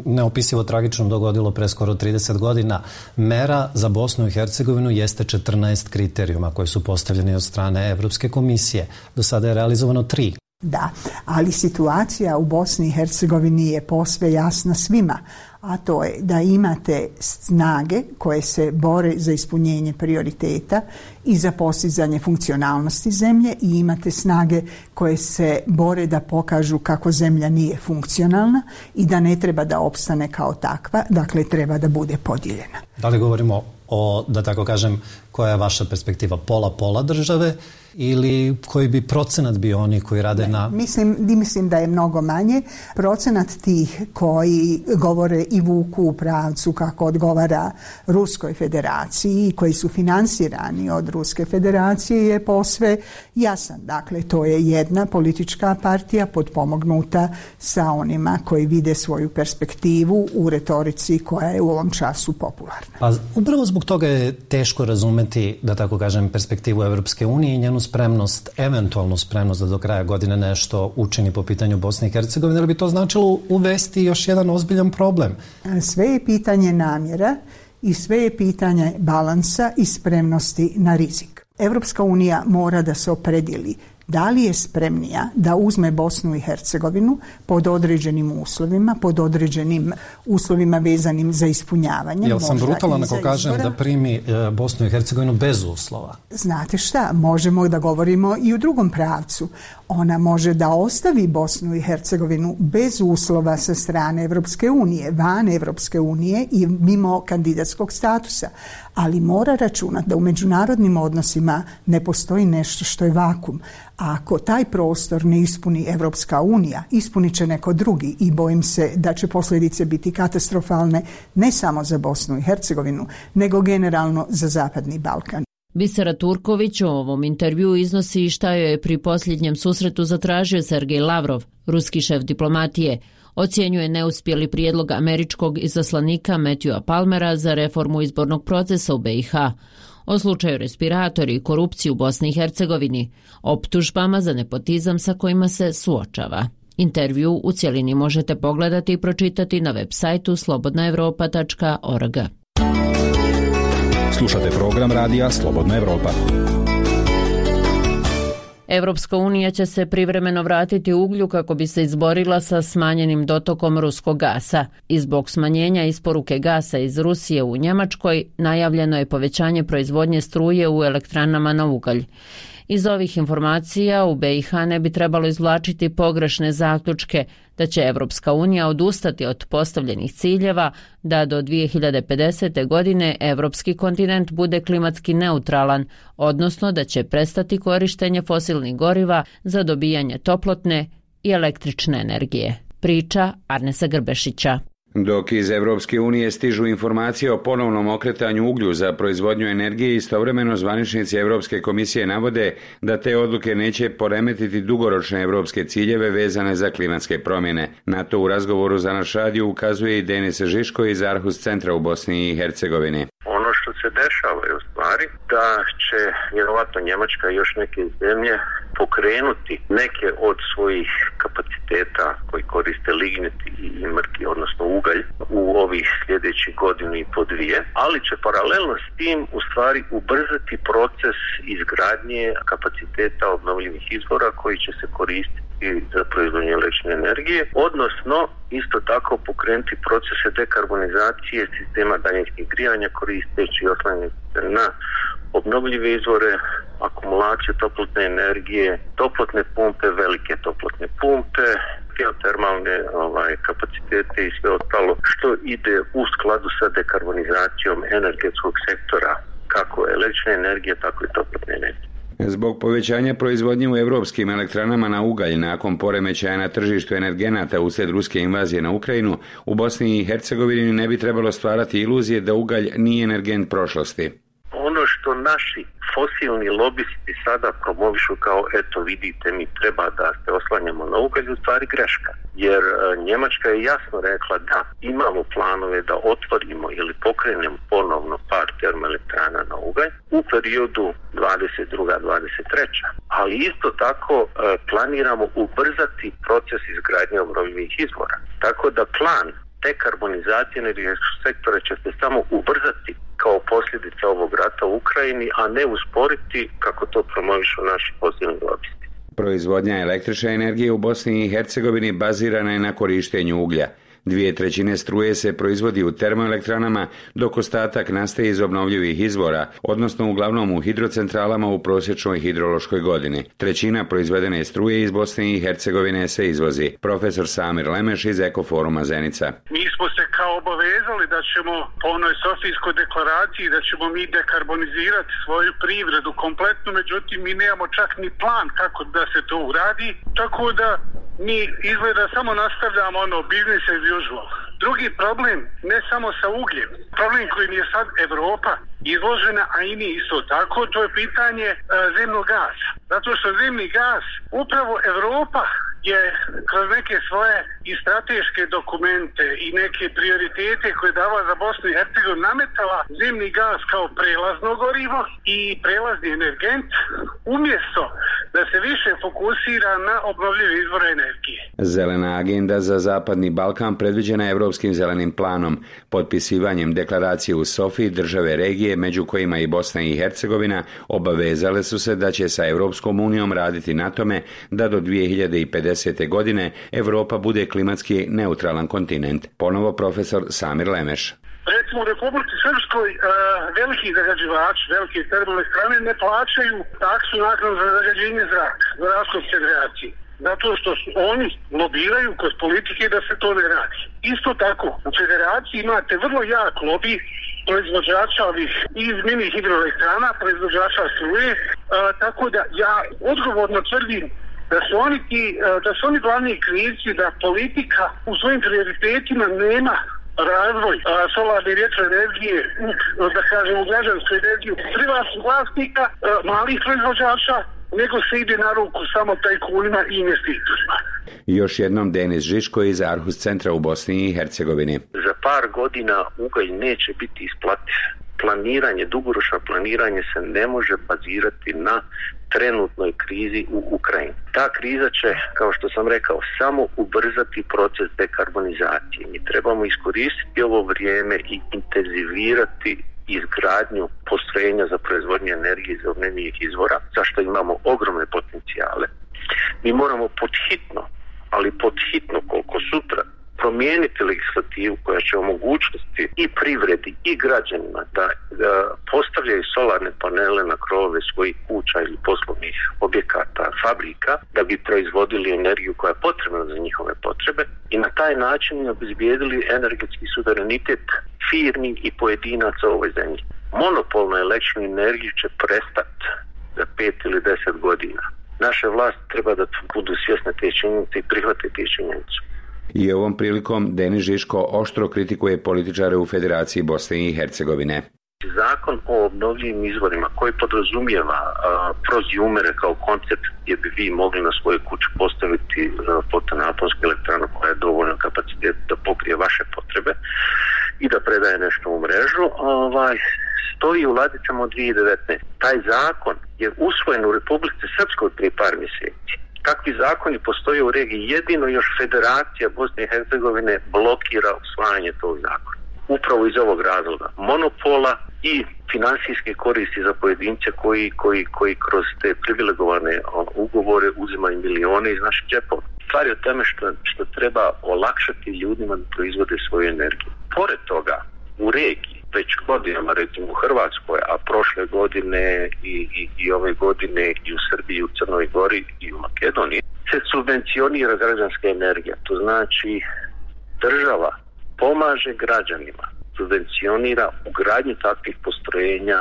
neopisivo tragično dogodilo pre skoro trideset godina. Mera za Bosnu i Hercegovinu jeste četrnaest kriterijuma koji su postavljeni od strane Evropske komisije. Do sada je realizovano tri. Da, ali situacija u Bosni i Hercegovini je posve jasna svima, a to je da imate snage koje se bore za ispunjenje prioriteta i za postizanje funkcionalnosti zemlje i imate snage koje se bore da pokažu kako zemlja nije funkcionalna i da ne treba da opstane kao takva, dakle treba da bude podijeljena. Da li govorimo o, da tako kažem, koja je vaša perspektiva, pola-pola države ili koji bi procenat bio oni koji rade na... Mislim, mislim da je mnogo manje. Procenat tih koji govore i vuku u pravcu kako odgovara Ruskoj federaciji, koji su finansirani od Ruske federacije, je posve jasan. Dakle, to je jedna politička partija potpomognuta sa onima koji vide svoju perspektivu u retorici koja je u ovom času popularna. Pa upravo zbog toga je teško razumeti, da tako kažem, perspektivu Evropske unije i njenu spremnost, eventualnu spremnost da do kraja godine nešto učini po pitanju Bosne i Hercegovine, ali bi to značilo uvesti još jedan ozbiljan problem. Sve je pitanje namjera i sve je pitanje balansa i spremnosti na rizik. Evropska unija mora da se opredijeli da li je spremnija da uzme Bosnu i Hercegovinu pod određenim uslovima, pod određenim uslovima vezanim za ispunjavanje. Jel sam brutalan ako kažem da primi e, Bosnu i Hercegovinu bez uslova? Znate šta, možemo da govorimo i u drugom pravcu. Ona može da ostavi Bosnu i Hercegovinu bez uslova sa strane Evropske unije, van Evropske unije i mimo kandidatskog statusa. Ali mora računati da u međunarodnim odnosima ne postoji nešto što je vakum. A ako taj prostor ne ispuni Evropska unija, ispunit će neko drugi i bojim se da će posljedice biti katastrofalne ne samo za Bosnu i Hercegovinu, nego generalno za Zapadni Balkan. Bisera Turković u ovom intervju iznosi šta joj je pri posljednjem susretu zatražio Sergej Lavrov, ruski šef diplomatije. Ocjenjuje neuspjeli prijedlog američkog izaslanika Matthewa Palmera za reformu izbornog procesa u B i H. O slučaju respiratori i korupciji u Bosni i Hercegovini, optužbama za nepotizam sa kojima se suočava. Intervju u cjelini možete pogledati i pročitati na web sajtu slobodna evropa tačka org. Slušate program radija Slobodna Evropa. Evropska unija će se privremeno vratiti uglju kako bi se izborila sa smanjenim dotokom ruskog gasa. I zbog smanjenja isporuke gasa iz Rusije u Njemačkoj najavljeno je povećanje proizvodnje struje u elektranama na ugalj. Iz ovih informacija u B i H ne bi trebalo izvlačiti pogrešne zaključke da će Evropska unija odustati od postavljenih ciljeva da do dvije hiljade pedesete. godine evropski kontinent bude klimatski neutralan, odnosno da će prestati korištenje fosilnih goriva za dobijanje toplotne i električne energije. Priča Arnesa Grbešića. Dok iz Evropske unije stižu informacije o ponovnom okretanju uglju za proizvodnju energije, istovremeno zvaničnici Evropske komisije navode da te odluke neće poremetiti dugoročne evropske ciljeve vezane za klimatske promjene. Na to u razgovoru za naš radio ukazuje i Denis Žiško iz Arhus centra u Bosni i Hercegovini. Ono što se dešava je u stvari da će vjerovatno Njemačka i još neke zemlje pokrenuti neke od svojih kapaciteta koji koriste lignit i mrki, odnosno ugalj, u ovih sljedećih godinu i po dvije, ali će paralelno s tim u stvari ubrzati proces izgradnje kapaciteta obnovljivih izvora koji će se koristiti za proizvodnju električne energije, odnosno isto tako pokrenuti procese dekarbonizacije sistema daljinskih grijanja koristeći oslanjanje na obnovljive izvore, akumulaciju toplotne energije, toplotne pumpe, velike toplotne pumpe, geotermalne ovaj, kapacitete i sve ostalo što ide u skladu sa dekarbonizacijom energetskog sektora, kako električne energije, tako i toplotne energije. Zbog povećanja proizvodnje u evropskim elektranama na ugalj nakon poremećaja na tržištu energenata uslijed ruske invazije na Ukrajinu, u Bosni i Hercegovini ne bi trebalo stvarati iluzije da ugalj nije energent prošlosti. Ono što naši fosilni lobisti sada promovišu kao eto vidite mi treba da se oslanjamo na ugalj, u stvari greška. Jer Njemačka je jasno rekla da imamo planove da otvorimo ili pokrenemo ponovno par termoelektrana na ugalj u periodu dvadeset druga dvadeset treća Ali isto tako planiramo ubrzati proces izgradnje obnovljivih izvora. Tako da plan dekarbonizacije energetskog sektora će se samo ubrzati kao posljedica ovog rata u Ukrajini, a ne usporiti kako to promovišu naši fosilni lobisti. Proizvodnja električne energije u Bosni i Hercegovini bazirana je na korištenju uglja. Dvije trećine struje se proizvodi u termoelektranama, dok ostatak nastaje iz obnovljivih izvora, odnosno uglavnom u hidrocentralama u prosječnoj hidrološkoj godini. Trećina proizvedene struje iz Bosne i Hercegovine se izvozi. Profesor Samir Lemeš iz Ekoforuma Zenica. Mi smo se kao obavezali da ćemo po onoj Sofijskoj deklaraciji da ćemo mi dekarbonizirati svoju privredu kompletno, međutim mi nemamo čak ni plan kako da se to uradi, tako da mi izgleda samo nastavljamo ono business as usual. Drugi problem, ne samo sa ugljem, problem kojim je sad Evropa izložena, a i mi isto tako, to je pitanje e, zemnog gasa. Zato što zemni gas, upravo Evropa je kroz neke svoje i strateške dokumente i neke prioritete koje dava za Bosnu i Hercegovinu nametala zemni gas kao prelazno gorivo i prelazni energent, umjesto da se više fokusira na obnovljive izvore energije. Zelena agenda za Zapadni Balkan predviđena je Evropskim zelenim planom. Potpisivanjem deklaracije u Sofiji države regije, među kojima i Bosna i Hercegovina, obavezale su se da će sa Evropskom unijom raditi na tome da do dvije hiljade pedesete. godine Evropa bude klimatski neutralan kontinent. Ponovo profesor Samir Lemeš. Recimo u Republici Srpskoj uh, veliki zagađivači, velike termoelektrane ne plaćaju taksu naknadu za zagađenje zraka, za razliku od federacije. Zato što su oni lobiraju kroz politike da se to ne radi. Isto tako, u federaciji imate vrlo jak lobi proizvođača ovih iz mini hidroelektrana, proizvođača struje, uh, tako da ja odgovorno tvrdim da su oni ti, da su oni glavni krivci da politika u svojim prioritetima nema razvoj a, solarne vjetroenergije, da kažemo građansku energiju privatnih vlasnika, a, malih proizvođača, nego se ide na ruku samo tajkunima i investitorima. Još jednom Denis Žiško iz Arhus centra u Bosni i Hercegovini. Za par godina ugalj neće biti isplativ. Planiranje, dugoročno planiranje se ne može bazirati na trenutnoj krizi u Ukrajini. Ta kriza će, kao što sam rekao, samo ubrzati proces dekarbonizacije. Mi trebamo iskoristiti ovo vrijeme i intenzivirati izgradnju postrojenja za proizvodnju energije iz obnovljivih izvora, za što imamo ogromne potencijale. Mi moramo podhitno, ali podhitno koliko sutra, promijeniti legislativu koja će omogućiti i privredi i građanima da, da postavljaju solarne panele na krovove svojih kuća ili poslovnih objekata, fabrika, da bi proizvodili energiju koja je potrebna za njihove potrebe i na taj način obezbijedili energetski suverenitet firmi i pojedinaca u ovoj zemlji. Monopol na električnu energiju će prestati za pet ili deset godina. Naše vlasti treba da budu svjesne te činjenice i prihvate te činjenice. I ovom prilikom Denis Žiško oštro kritikuje političare u Federaciji Bosne i Hercegovine. Zakon o obnovljivim izvorima koji podrazumijeva uh, prozjumere kao koncept gdje bi vi mogli na svojoj kući postaviti uh, fotonaponsku elektranu koja je dovoljno kapacitet da pokrije vaše potrebe i da predaje nešto u mrežu, ovaj, stoji u ladicama od dvije hiljade devetnaeste. Taj zakon je usvojen u Republici Srpskoj prije par mjeseci. Kakvi zakoni postoje u regiji, jedino još Federacija Bosne i Hercegovine blokira usvajanje tog zakona. Upravo iz ovog razloga monopola i finansijske koristi za pojedince koji, koji, koji kroz te privilegovane ugovore uzimaju milione iz naših džepova. Stvar je o tome što, što treba olakšati ljudima da proizvode svoju energiju. Pored toga, u regiji, već godinama, recimo u Hrvatskoj, a prošle godine i, i, i ove godine i u Srbiji, u Crnoj Gori i u Makedoniji, se subvencionira građanska energija. To znači država pomaže građanima, subvencionira ugradnju takvih postrojenja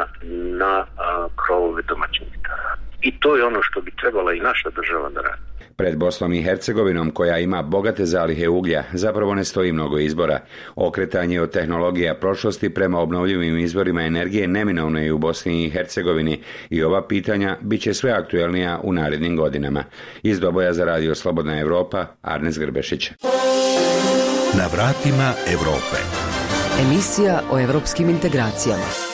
na a, krovove domaćinstava. I to je ono što bi trebala i naša država da radi. Pred Bosnom i Hercegovinom, koja ima bogate zalihe uglja, zapravo ne stoji mnogo izbora. Okretanje od tehnologija prošlosti prema obnovljivim izvorima energije neminovno je u Bosni i Hercegovini i ova pitanja bit će sve aktuelnija u narednim godinama. Iz Doboja za Radio Slobodna Evropa, Arnes Grbešić. Na vratima Evrope. Emisija o evropskim integracijama.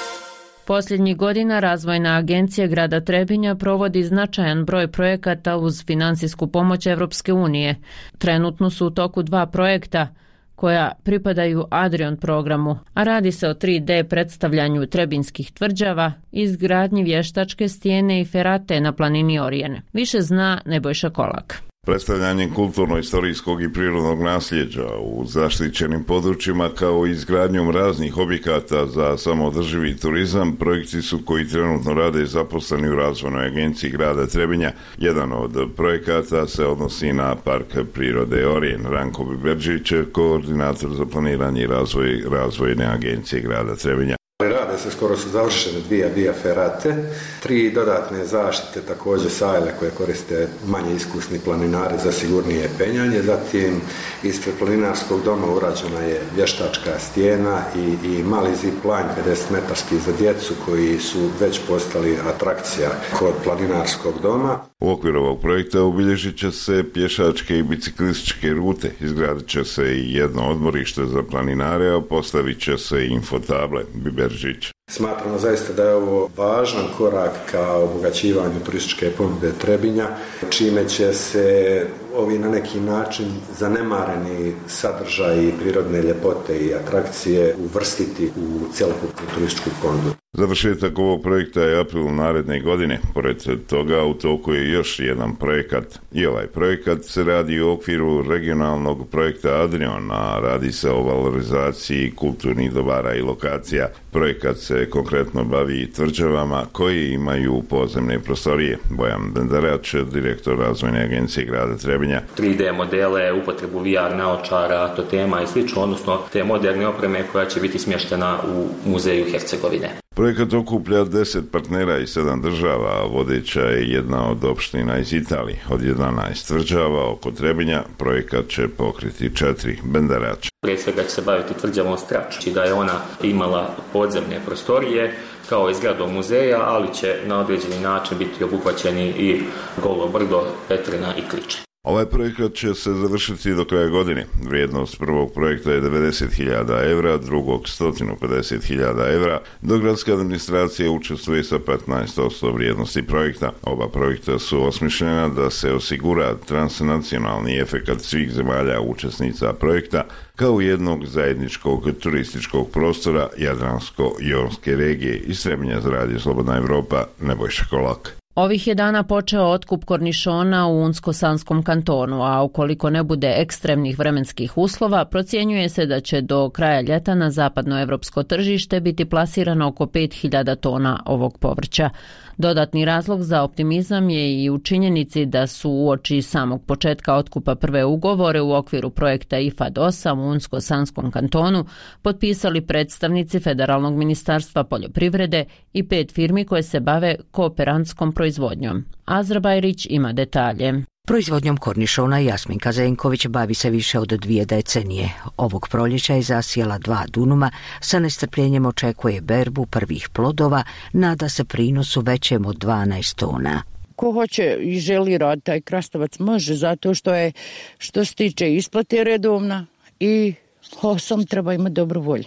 Posljednjih godina Razvojna agencija grada Trebinja provodi značajan broj projekata uz finansijsku pomoć Evropske unije. Trenutno su u toku dva projekta koja pripadaju Adrion programu, a radi se o tri D predstavljanju trebinskih tvrđava, izgradnji vještačke stijene i ferate na planini Orijene. Više zna Nebojša Kolak. Predstavljanjem kulturno-istorijskog i prirodnog nasljeđa u zaštićenim područjima kao i izgradnjom raznih objekata za samoodrživi turizam, projekti su koji trenutno rade zaposleni u razvojnoj agenciji grada Trebinja. Jedan od projekata se odnosi na Park prirode Orijen. Ranko Biberđić, koordinator za planiranje i razvoj razvojne agencije grada Trebinja. Rade se, skoro su završene dvije biaferate, tri dodatne zaštite, također sajle koje koriste manje iskusni planinari za sigurnije penjanje. Zatim ispred planinarskog doma urađena je vještačka stijena i, i mali zip line pedeset metarski za djecu koji su već postali atrakcija kod planinarskog doma. U okviru ovog projekta obilježit će se pješačke i biciklističke rute, izgradit će se i jedno odmorište za planinare, a postavit će se i infotable. Biberžić. Smatramo zaista da je ovo važan korak ka obogaćivanju turističke ponude Trebinja, čime će se ovi na neki način zanemareni sadržaji prirodne ljepote i atrakcije uvrstiti u cjelokupnu turističku ponudu. Završetak ovog projekta je april naredne godine. Pored toga u toku je još jedan projekat. I ovaj projekat se radi u okviru regionalnog projekta Adrion, a radi se o valorizaciji kulturnih dobara i lokacija. Projekat se konkretno bavi tvrđavama koje imaju podzemne prostorije. Bojan Bendarač, direktor razvojne agencije grada Trebinja. tri D modele, upotrebu V R naočara, totema i slično, odnosno te moderne opreme koja će biti smještena u muzeju Hercegovine. Projekat okuplja deset partnera i sedam država, a vodeća je jedna od opština iz Italije. Od jedanaest tvrđava oko Trebinja projekat će pokriti četiri. Bendarač. Prije svega će se baviti tvrđavom Strač, da je ona imala podzemne prostorije kao i zgradom muzeja, ali će na određeni način biti obuhvaćeni i Golo brdo, Petrina i Kliče. Ovaj projekat će se završiti do kraja godine. Vrijednost prvog projekta je devedeset hiljada evra, drugog sto pedeset hiljada evra, dok gradska administracija učestvuje sa petnaest posto vrijednosti projekta. Oba projekta su osmišljena da se osigura transnacionalni efekat svih zemalja učesnica projekta kao jednog zajedničkog turističkog prostora Jadransko-jonske regije. Iz Trebinja za Radio Slobodna Evropa, Nebojša Kolak. Ovih je dana počeo otkup kornišona u Unsko-Sanskom kantonu, a ukoliko ne bude ekstremnih vremenskih uslova, procjenjuje se da će do kraja ljeta na zapadnoevropsko tržište biti plasirano oko pet hiljada tona ovog povrća. Dodatni razlog za optimizam je i u činjenici da su uoči samog početka otkupa prve ugovore u okviru projekta I F A D osam u Unsko-Sanskom kantonu potpisali predstavnici Federalnog ministarstva poljoprivrede i pet firmi koje se bave kooperantskom proizvodnjom. Azra Bajrić ima detalje. Proizvodnjom kornišona Jasminka Zenković bavi se više od dvije decenije. Ovog proljeća je zasijala dva dunuma, sa nestrpljenjem očekuje berbu prvih plodova, nada se prinosu većem od dvanaest tona. Ko hoće i želi raditi taj krastavac može, zato što je, što se tiče isplate redovna i osam treba imati dobru volju.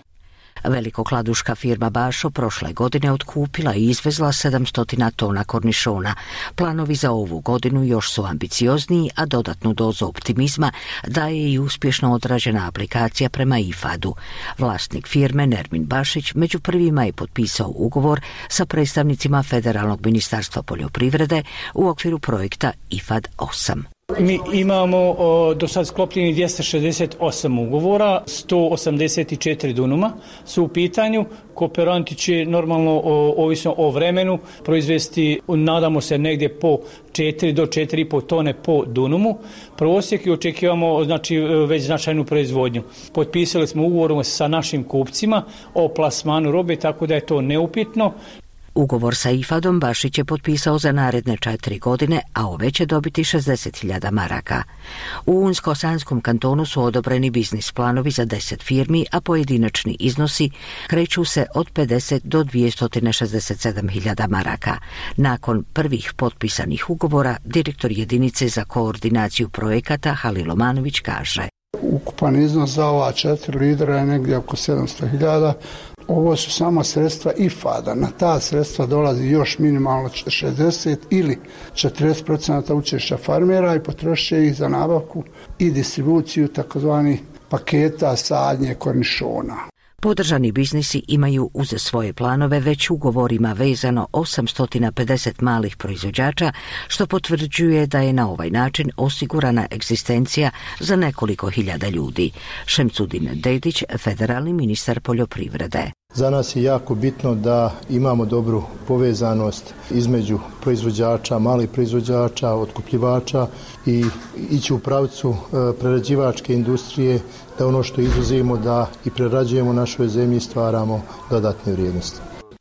Velikokladuška firma Bašo prošle godine otkupila i izvezla sedamsto tona kornišona. Planovi za ovu godinu još su ambiciozniji, a dodatnu dozu optimizma daje i uspješno odrađena aplikacija prema I F A D-u. Vlasnik firme Nermin Bašić među prvima je potpisao ugovor sa predstavnicima Federalnog ministarstva poljoprivrede u okviru projekta I F A D osam. Mi imamo o, do sad sklopljeni dvjesto šezdeset osam ugovora, sto osamdeset četiri dunuma su u pitanju. Kooperanti će normalno, o, ovisno o vremenu, proizvesti, nadamo se, negdje po četiri do četiri i pol tone po dunumu. Prosjek i očekivamo znači, već značajnu proizvodnju. Potpisali smo ugovor sa našim kupcima o plasmanu robe, tako da je to neupitno. Ugovor sa I F A D-om Bašić je potpisao za naredne četiri godine, a ove će dobiti šezdeset hiljada maraka. U Unsko-Sanskom kantonu su odobreni biznis planovi za deset firmi, a pojedinačni iznosi kreću se od pedeset do dvjesto šezdeset sedam hiljada maraka. Nakon prvih potpisanih ugovora, direktor jedinice za koordinaciju projekata Halil Omanović kaže: Ukupan iznos za ova četiri lidera je negdje oko sedamsto hiljada. Ovo su samo sredstva I F A D-a. Na ta sredstva dolazi još minimalno šezdeset ili četrdeset posto učešća farmera i potrošit će ih za nabavku i distribuciju takozvanih paketa sadnje kornišona. Podržani biznisi imaju uz svoje planove već ugovorima vezano osamsto pedeset malih proizvođača, što potvrđuje da je na ovaj način osigurana egzistencija za nekoliko hiljada ljudi. Šemsudin Dedić, federalni ministar poljoprivrede. Za nas je jako bitno da imamo dobru povezanost između proizvođača, malih proizvođača, otkupljivača i ići u pravcu prerađivačke industrije, da ono što izvozimo da i prerađujemo u našoj zemlji i stvaramo dodatne vrijednosti.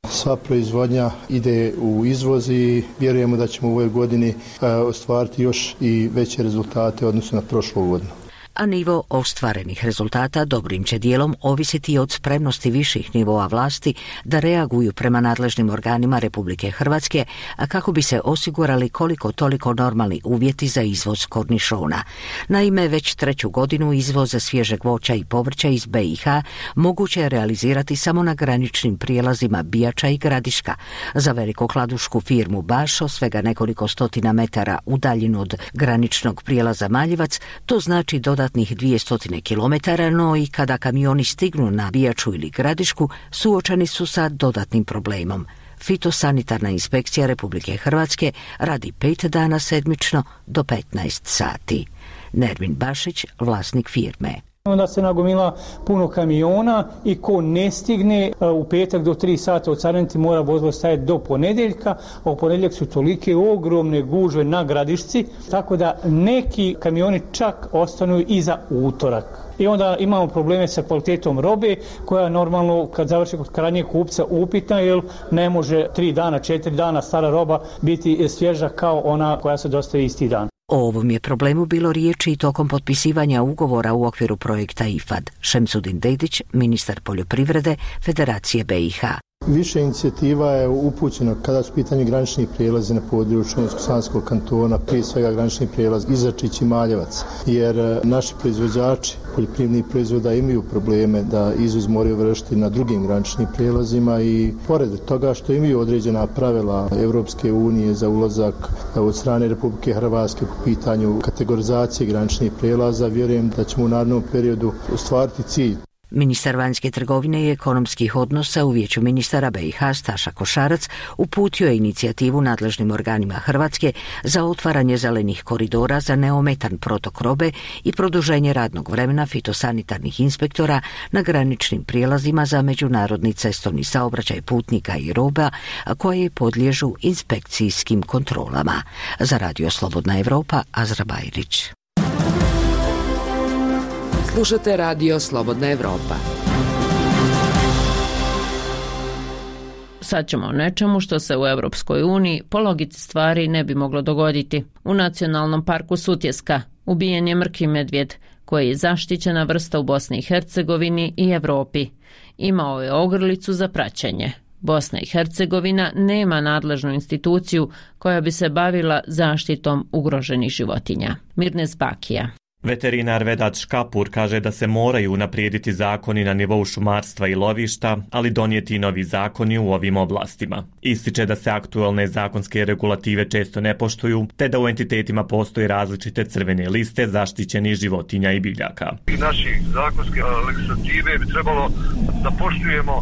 Sva proizvodnja ide u izvoz i vjerujemo da ćemo u ovoj godini ostvariti još i veće rezultate odnosno na prošlu godinu. A nivo ostvarenih rezultata dobrim će dijelom ovisiti od spremnosti viših nivoa vlasti da reaguju prema nadležnim organima Republike Hrvatske, a kako bi se osigurali koliko toliko normalni uvjeti za izvoz kornišona. Naime, već treću godinu izvoz svježeg voća i povrća iz B i H moguće je realizirati samo na graničnim prijelazima Bijača i Gradiška. Za velikokladušku firmu Bašo, svega nekoliko stotina metara udaljeno od graničnog prijelaza Maljevac, to znači dodatnih dvjesto kilometara, no i kada kamioni stignu na Bijaču ili Gradišku, suočeni su sa dodatnim problemom. Fitosanitarna inspekcija Republike Hrvatske radi pet dana sedmično do petnaest sati. Nermin Bašić, vlasnik firme. Onda se nagomila puno kamiona i ko ne stigne u petak do tri sata odcariniti mora vozilo stajati do ponedjeljka, a u ponedjeljak su tolike ogromne gužve na Gradišci, tako da neki kamioni čak ostanu i za utorak. I onda imamo probleme sa kvalitetom robe koja normalno kad završi kod krajnjeg kupca upitna, jer ne može tri dana, četiri dana stara roba biti svježa kao ona koja se dostavi isti dan. O ovom je problemu bilo riječi i tokom potpisivanja ugovora u okviru projekta I F A D. Šemsudin Dedić, ministar poljoprivrede Federacije B i H. Više inicijativa je upućeno kada su pitanje graničnih prijelazi na području Unsko-Sanskog kantona, prije svega granični prijelaz Izačić i Maljevac, jer naši proizvođači poljoprivrednih proizvoda imaju probleme da izvoz moraju vršiti na drugim graničnim prijelazima i pored toga što imaju određena pravila Europske unije za ulazak od strane Republike Hrvatske po pitanju kategorizacije graničnih prijelaza, vjerujem da ćemo u narednom periodu ostvariti cilj. Ministar vanjske trgovine i ekonomskih odnosa u Vijeću ministara B i H Staša Košarac uputio je inicijativu nadležnim organima Hrvatske za otvaranje zelenih koridora za neometan protok robe i produženje radnog vremena fitosanitarnih inspektora na graničnim prijelazima za međunarodni cestovni saobraćaj putnika i roba koje podliježu inspekcijskim kontrolama. Za Radio Slobodna Evropa, Azra Bajrić. Slušate Radio Slobodna Evropa. Sad ćemo o nečemu što se u Europskoj uniji po logici stvari ne bi moglo dogoditi. U Nacionalnom parku Sutjeska ubijen je mrki medvjed, koji je zaštićena vrsta u Bosni i Hercegovini i Europi. Imao je ogrlicu za praćenje. Bosna i Hercegovina nema nadležnu instituciju koja bi se bavila zaštitom ugroženih životinja. Mirnes Bakija. Veterinar Vedat Škapur kaže da se moraju unaprijediti zakoni na nivou šumarstva i lovišta, ali donijeti i novi zakoni u ovim oblastima. Ističe da se aktualne zakonske regulative često ne poštuju, te da u entitetima postoje različite crvene liste zaštićenih životinja i biljaka. I naši zakonske legislative bi trebalo da poštujemo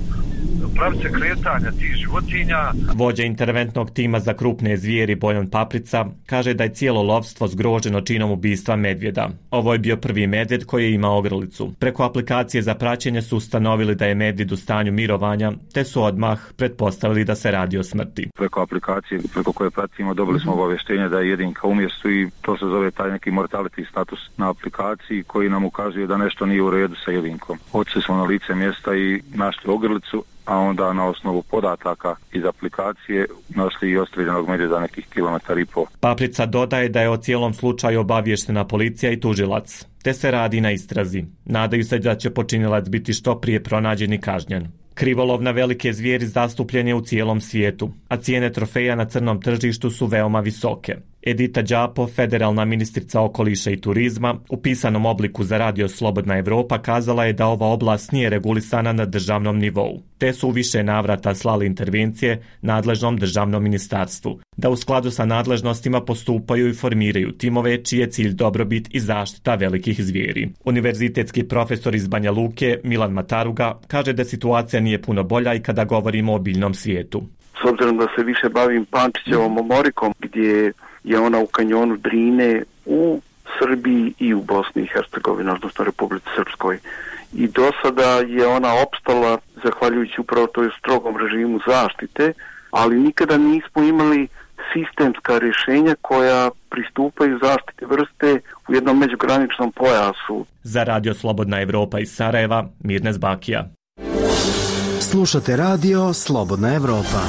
pravce kretanja tih životinja. Vođa interventnog tima za krupne zvijeri Bojan Paprica kaže da je cijelo lovstvo zgroženo činom ubistva medvjeda. Ovo je bio prvi medvjed koji je imao ogrlicu. Preko aplikacije za praćenje su ustanovili da je medvjed u stanju mirovanja, te su odmah pretpostavili da se radi o smrti. Preko aplikacije preko koje pratimo dobili smo obavještenje da je jedinka u mjestu i to se zove taj neki mortality status na aplikaciji koji nam ukazuje da nešto nije u redu sa jedinkom. Otišli smo na lice mjesta i našli ogrlicu, a onda na osnovu podataka iz aplikacije našli i ostreljenog medvjeda nekih kilometar i po. Paprica dodaje da je o cijelom slučaju obavještena policija i tužilac, te se radi na istrazi. Nadaju se da će počinilac biti što prije pronađen i kažnjen. Krivolov na velike zvijeri zastupljen je u cijelom svijetu, a cijene trofeja na crnom tržištu su veoma visoke. Edita Đapo, federalna ministrica okoliša i turizma, u pisanom obliku za Radio Slobodna Evropa kazala je da ova oblast nije regulisana na državnom nivou, te su u više navrata slali intervencije nadležnom državnom ministarstvu, da u skladu sa nadležnostima postupaju i formiraju timove čiji je cilj dobrobit i zaštita velikih zvijeri. Univerzitetski profesor iz Banja Luke, Milan Mataruga, kaže da situacija nije puno bolja i kada govorimo o biljnom svijetu. S obzirom da se više bavim Pančićevom omorikom, gdje je ona u kanjonu Drine u Srbiji i u Bosni i Hercegovini, odnosno Republici Srpskoj. I do sada je ona opstala zahvaljujući upravo toj strogom režimu zaštite, ali nikada nismo imali sistemska rješenja koja pristupaju zaštiti vrste u jednom međugraničnom pojasu. Za Radio Slobodna Evropa iz Sarajeva, Mirnes Bakija. Slušate Radio Slobodna Evropa.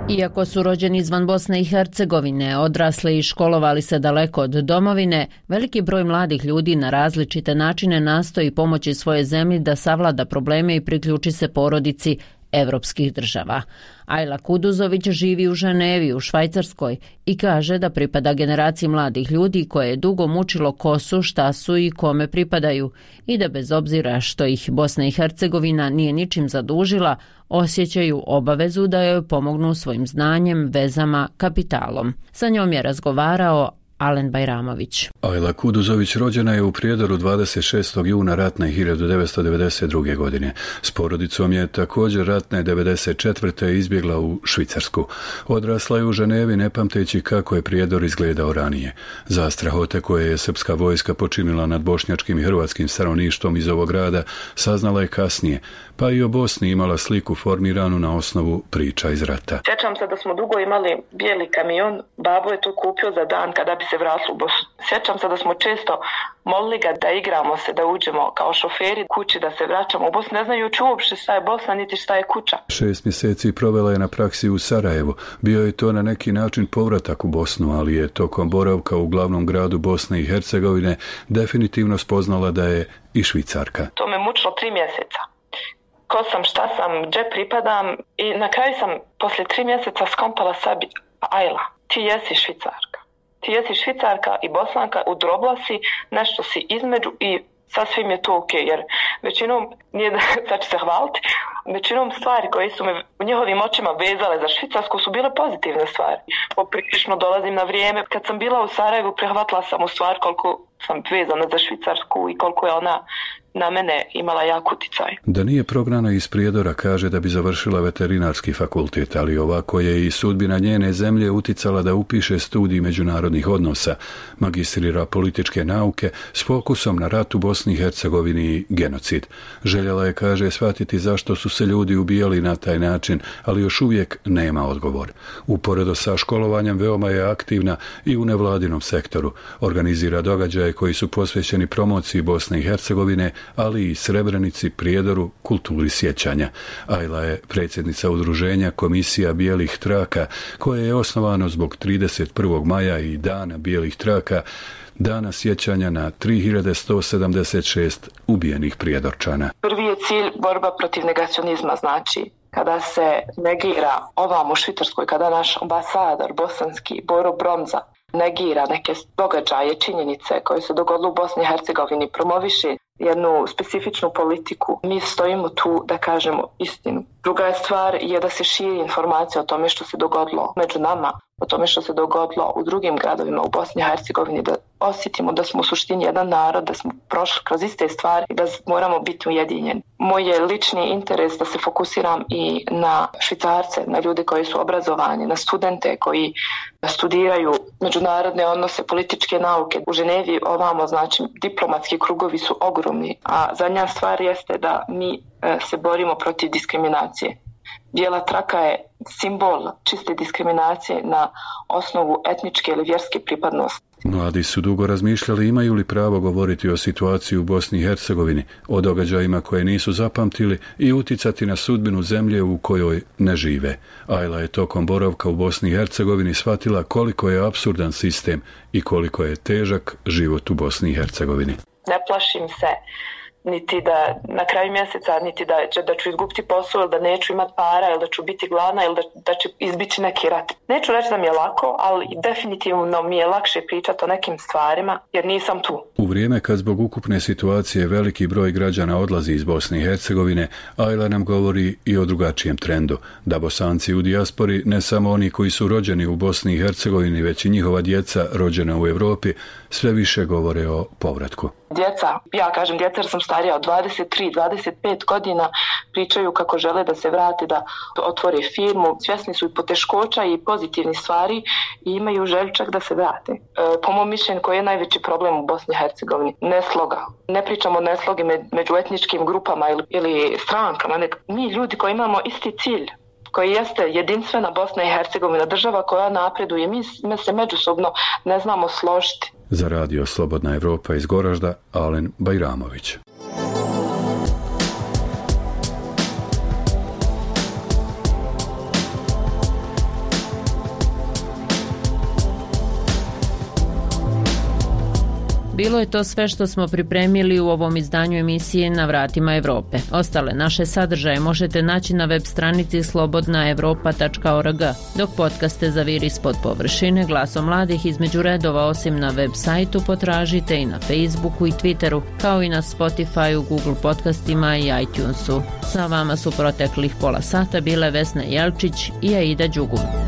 Iako su rođeni izvan Bosne i Hercegovine, odrasli i školovali se daleko od domovine, veliki broj mladih ljudi na različite načine nastoji pomoći svoje zemlji da savlada probleme i priključi se porodici evropskih država. Ajla Kuduzović živi u Ženevi u Švajcarskoj i kaže da pripada generaciji mladih ljudi koje je dugo mučilo ko su, šta su i kome pripadaju i da bez obzira što ih Bosna i Hercegovina nije ničim zadužila, osjećaju obavezu da joj pomognu svojim znanjem, vezama, kapitalom. Sa njom je razgovarao Alen Bajramović. Ajla Kuduzović rođena je u Prijedoru dvadeset šestog juna ratne hiljadu devetsto devedeset druge. godine. S porodicom je također ratne devedeset četvrte izbjegla u Švicarsku. Odrasla je u Ženevi ne pamteći kako je Prijedor izgledao ranije. Zastrahote koje je srpska vojska počinila nad bošnjačkim i hrvatskim stanovništvom iz ovog grada saznala je kasnije, pa i o Bosni imala sliku formiranu na osnovu priča iz rata. Sjećam se da smo dugo imali bijeli kamion, babo je to kupio za dan kada bi se vratili u Bosnu. Sjećam se da smo često molili ga da igramo se, da uđemo kao šoferi kući, da se vraćamo u Bosnu, ne znajući uopšte šta je Bosna, niti šta je kuća. Šest mjeseci provela je na praksi u Sarajevu. Bio je to na neki način povratak u Bosnu, ali je tokom boravka u glavnom gradu Bosne i Hercegovine definitivno spoznala da je i Švicarka. To me mučilo tri mjeseca. Ko sam, šta sam, gdje pripadam i na kraju sam poslije tri mjeseca skompala sebi, Ajla, ti jesi Švicarka. Ti jesi Švicarka i Bosanka, udrobla si, nešto si između i sasvim je to ok, jer većinom, nije da sad ću se hvaliti, većinom stvari koje su me u njihovim očima vezale za Švicarsku su bile pozitivne stvari. Poprilično dolazim na vrijeme. Kad sam bila u Sarajevu, prihvatila sam u stvar koliko sam vezana za Švicarsku i koliko je ona na mene imala jak uticaj. Da nije prognana iz Prijedora, kaže da bi završila veterinarski fakultet, ali ovako je i sudbina njene zemlje uticala da upiše studij međunarodnih odnosa, magistrira političke nauke s fokusom na rat u Bosni i Hercegovini i genocid. Željela je, kaže, shvatiti zašto su se ljudi ubijali na taj način, ali još uvijek nema odgovor. Uporedo sa školovanjem veoma je aktivna i u nevladinom sektoru. Organizira događaje koji su posvećeni promociji Bosne i Hercegovine, ali i Srebrenici, Prijedoru, kulturi sjećanja. Ajla je predsjednica udruženja Komisija bijelih traka, koje je osnovano zbog trideset prvog maja i Dana bijelih traka, dana sjećanja na tri hiljade sto sedamdeset šest ubijenih Prijedorčana. Prvi je cilj borba protiv negacionizma, znači kada se negira ovam u Švicarskoj, kada naš ambasador bosanski Boro Bromza negira neke događaje, činjenice koje se dogodile u Bosni i Hercegovini, promoviše jednu specifičnu politiku. Mi stojimo tu da kažemo istinu. Druga je stvar je da se širi informacija o tome što se dogodilo među nama, o tome što se dogodilo u drugim gradovima u Bosni i Hercegovini, da osjetimo da smo u suštini jedan narod, da smo prošli kroz iste stvari i da moramo biti ujedinjeni. Moj je lični interes da se fokusiram i na Švicarce, na ljude koji su obrazovani, na studente koji studiraju međunarodne odnose, političke nauke. U Ženevi ovamo, znači, diplomatski krugovi su ogromni, a zadnja stvar jeste da mi se borimo protiv diskriminacije. Bijela traka je simbol čiste diskriminacije na osnovu etničke ili vjerske pripadnosti. Mladi su dugo razmišljali imaju li pravo govoriti o situaciji u Bosni i Hercegovini, o događajima koje nisu zapamtili i uticati na sudbinu zemlje u kojoj ne žive. Ajla je tokom boravka u Bosni i Hercegovini shvatila koliko je apsurdan sistem i koliko je težak život u Bosni i Hercegovini. Ne plašim se niti da na kraju mjeseca, niti da, će, da ću izgubiti posao ili da neću imati para ili da ću biti gladna ili da, da će izbići neki rat. Neću reći da mi je lako, ali definitivno mi je lakše pričati o nekim stvarima jer nisam tu. U vrijeme kad zbog ukupne situacije veliki broj građana odlazi iz Bosne i Hercegovine, Ajla nam govori i o drugačijem trendu, da Bosanci u dijaspori, ne samo oni koji su rođeni u Bosni i Hercegovini, već i njihova djeca rođena u Europi, sve više govore o povratku. Djeca, ja kažem djeca jer sam starija od dvadeset tri dvadeset pet godina, pričaju kako žele da se vrate, da otvore firmu, svjesni su i poteškoća i pozitivnih stvari i imaju želju čak da se vrate. E, po mom mišljenju, koji je najveći problem u Bosni i Hercegovini? Nesloga. Ne pričamo o neslogi među etničkim grupama ili, ili strankama, nek mi ljudi koji imamo isti cilj, koji jeste jedinstvena Bosna i Hercegovina, država koja napreduje, mi, mi se međusobno ne znamo složiti. Za radio Slobodna Evropa iz Goražda, Alen Bajramović. Bilo je to sve što smo pripremili u ovom izdanju emisije Na vratima Evrope. Ostale naše sadržaje možete naći na web stranici slobodna evropa tačka org, dok podcaste Zaviri ispod površine glasom mladih između redova osim na web sajtu potražite i na Facebooku i Twitteru, kao i na Spotifyu, Google podcastima i iTunesu. Sa vama su proteklih pola sata bile Vesna Jelčić i Aida Đugum.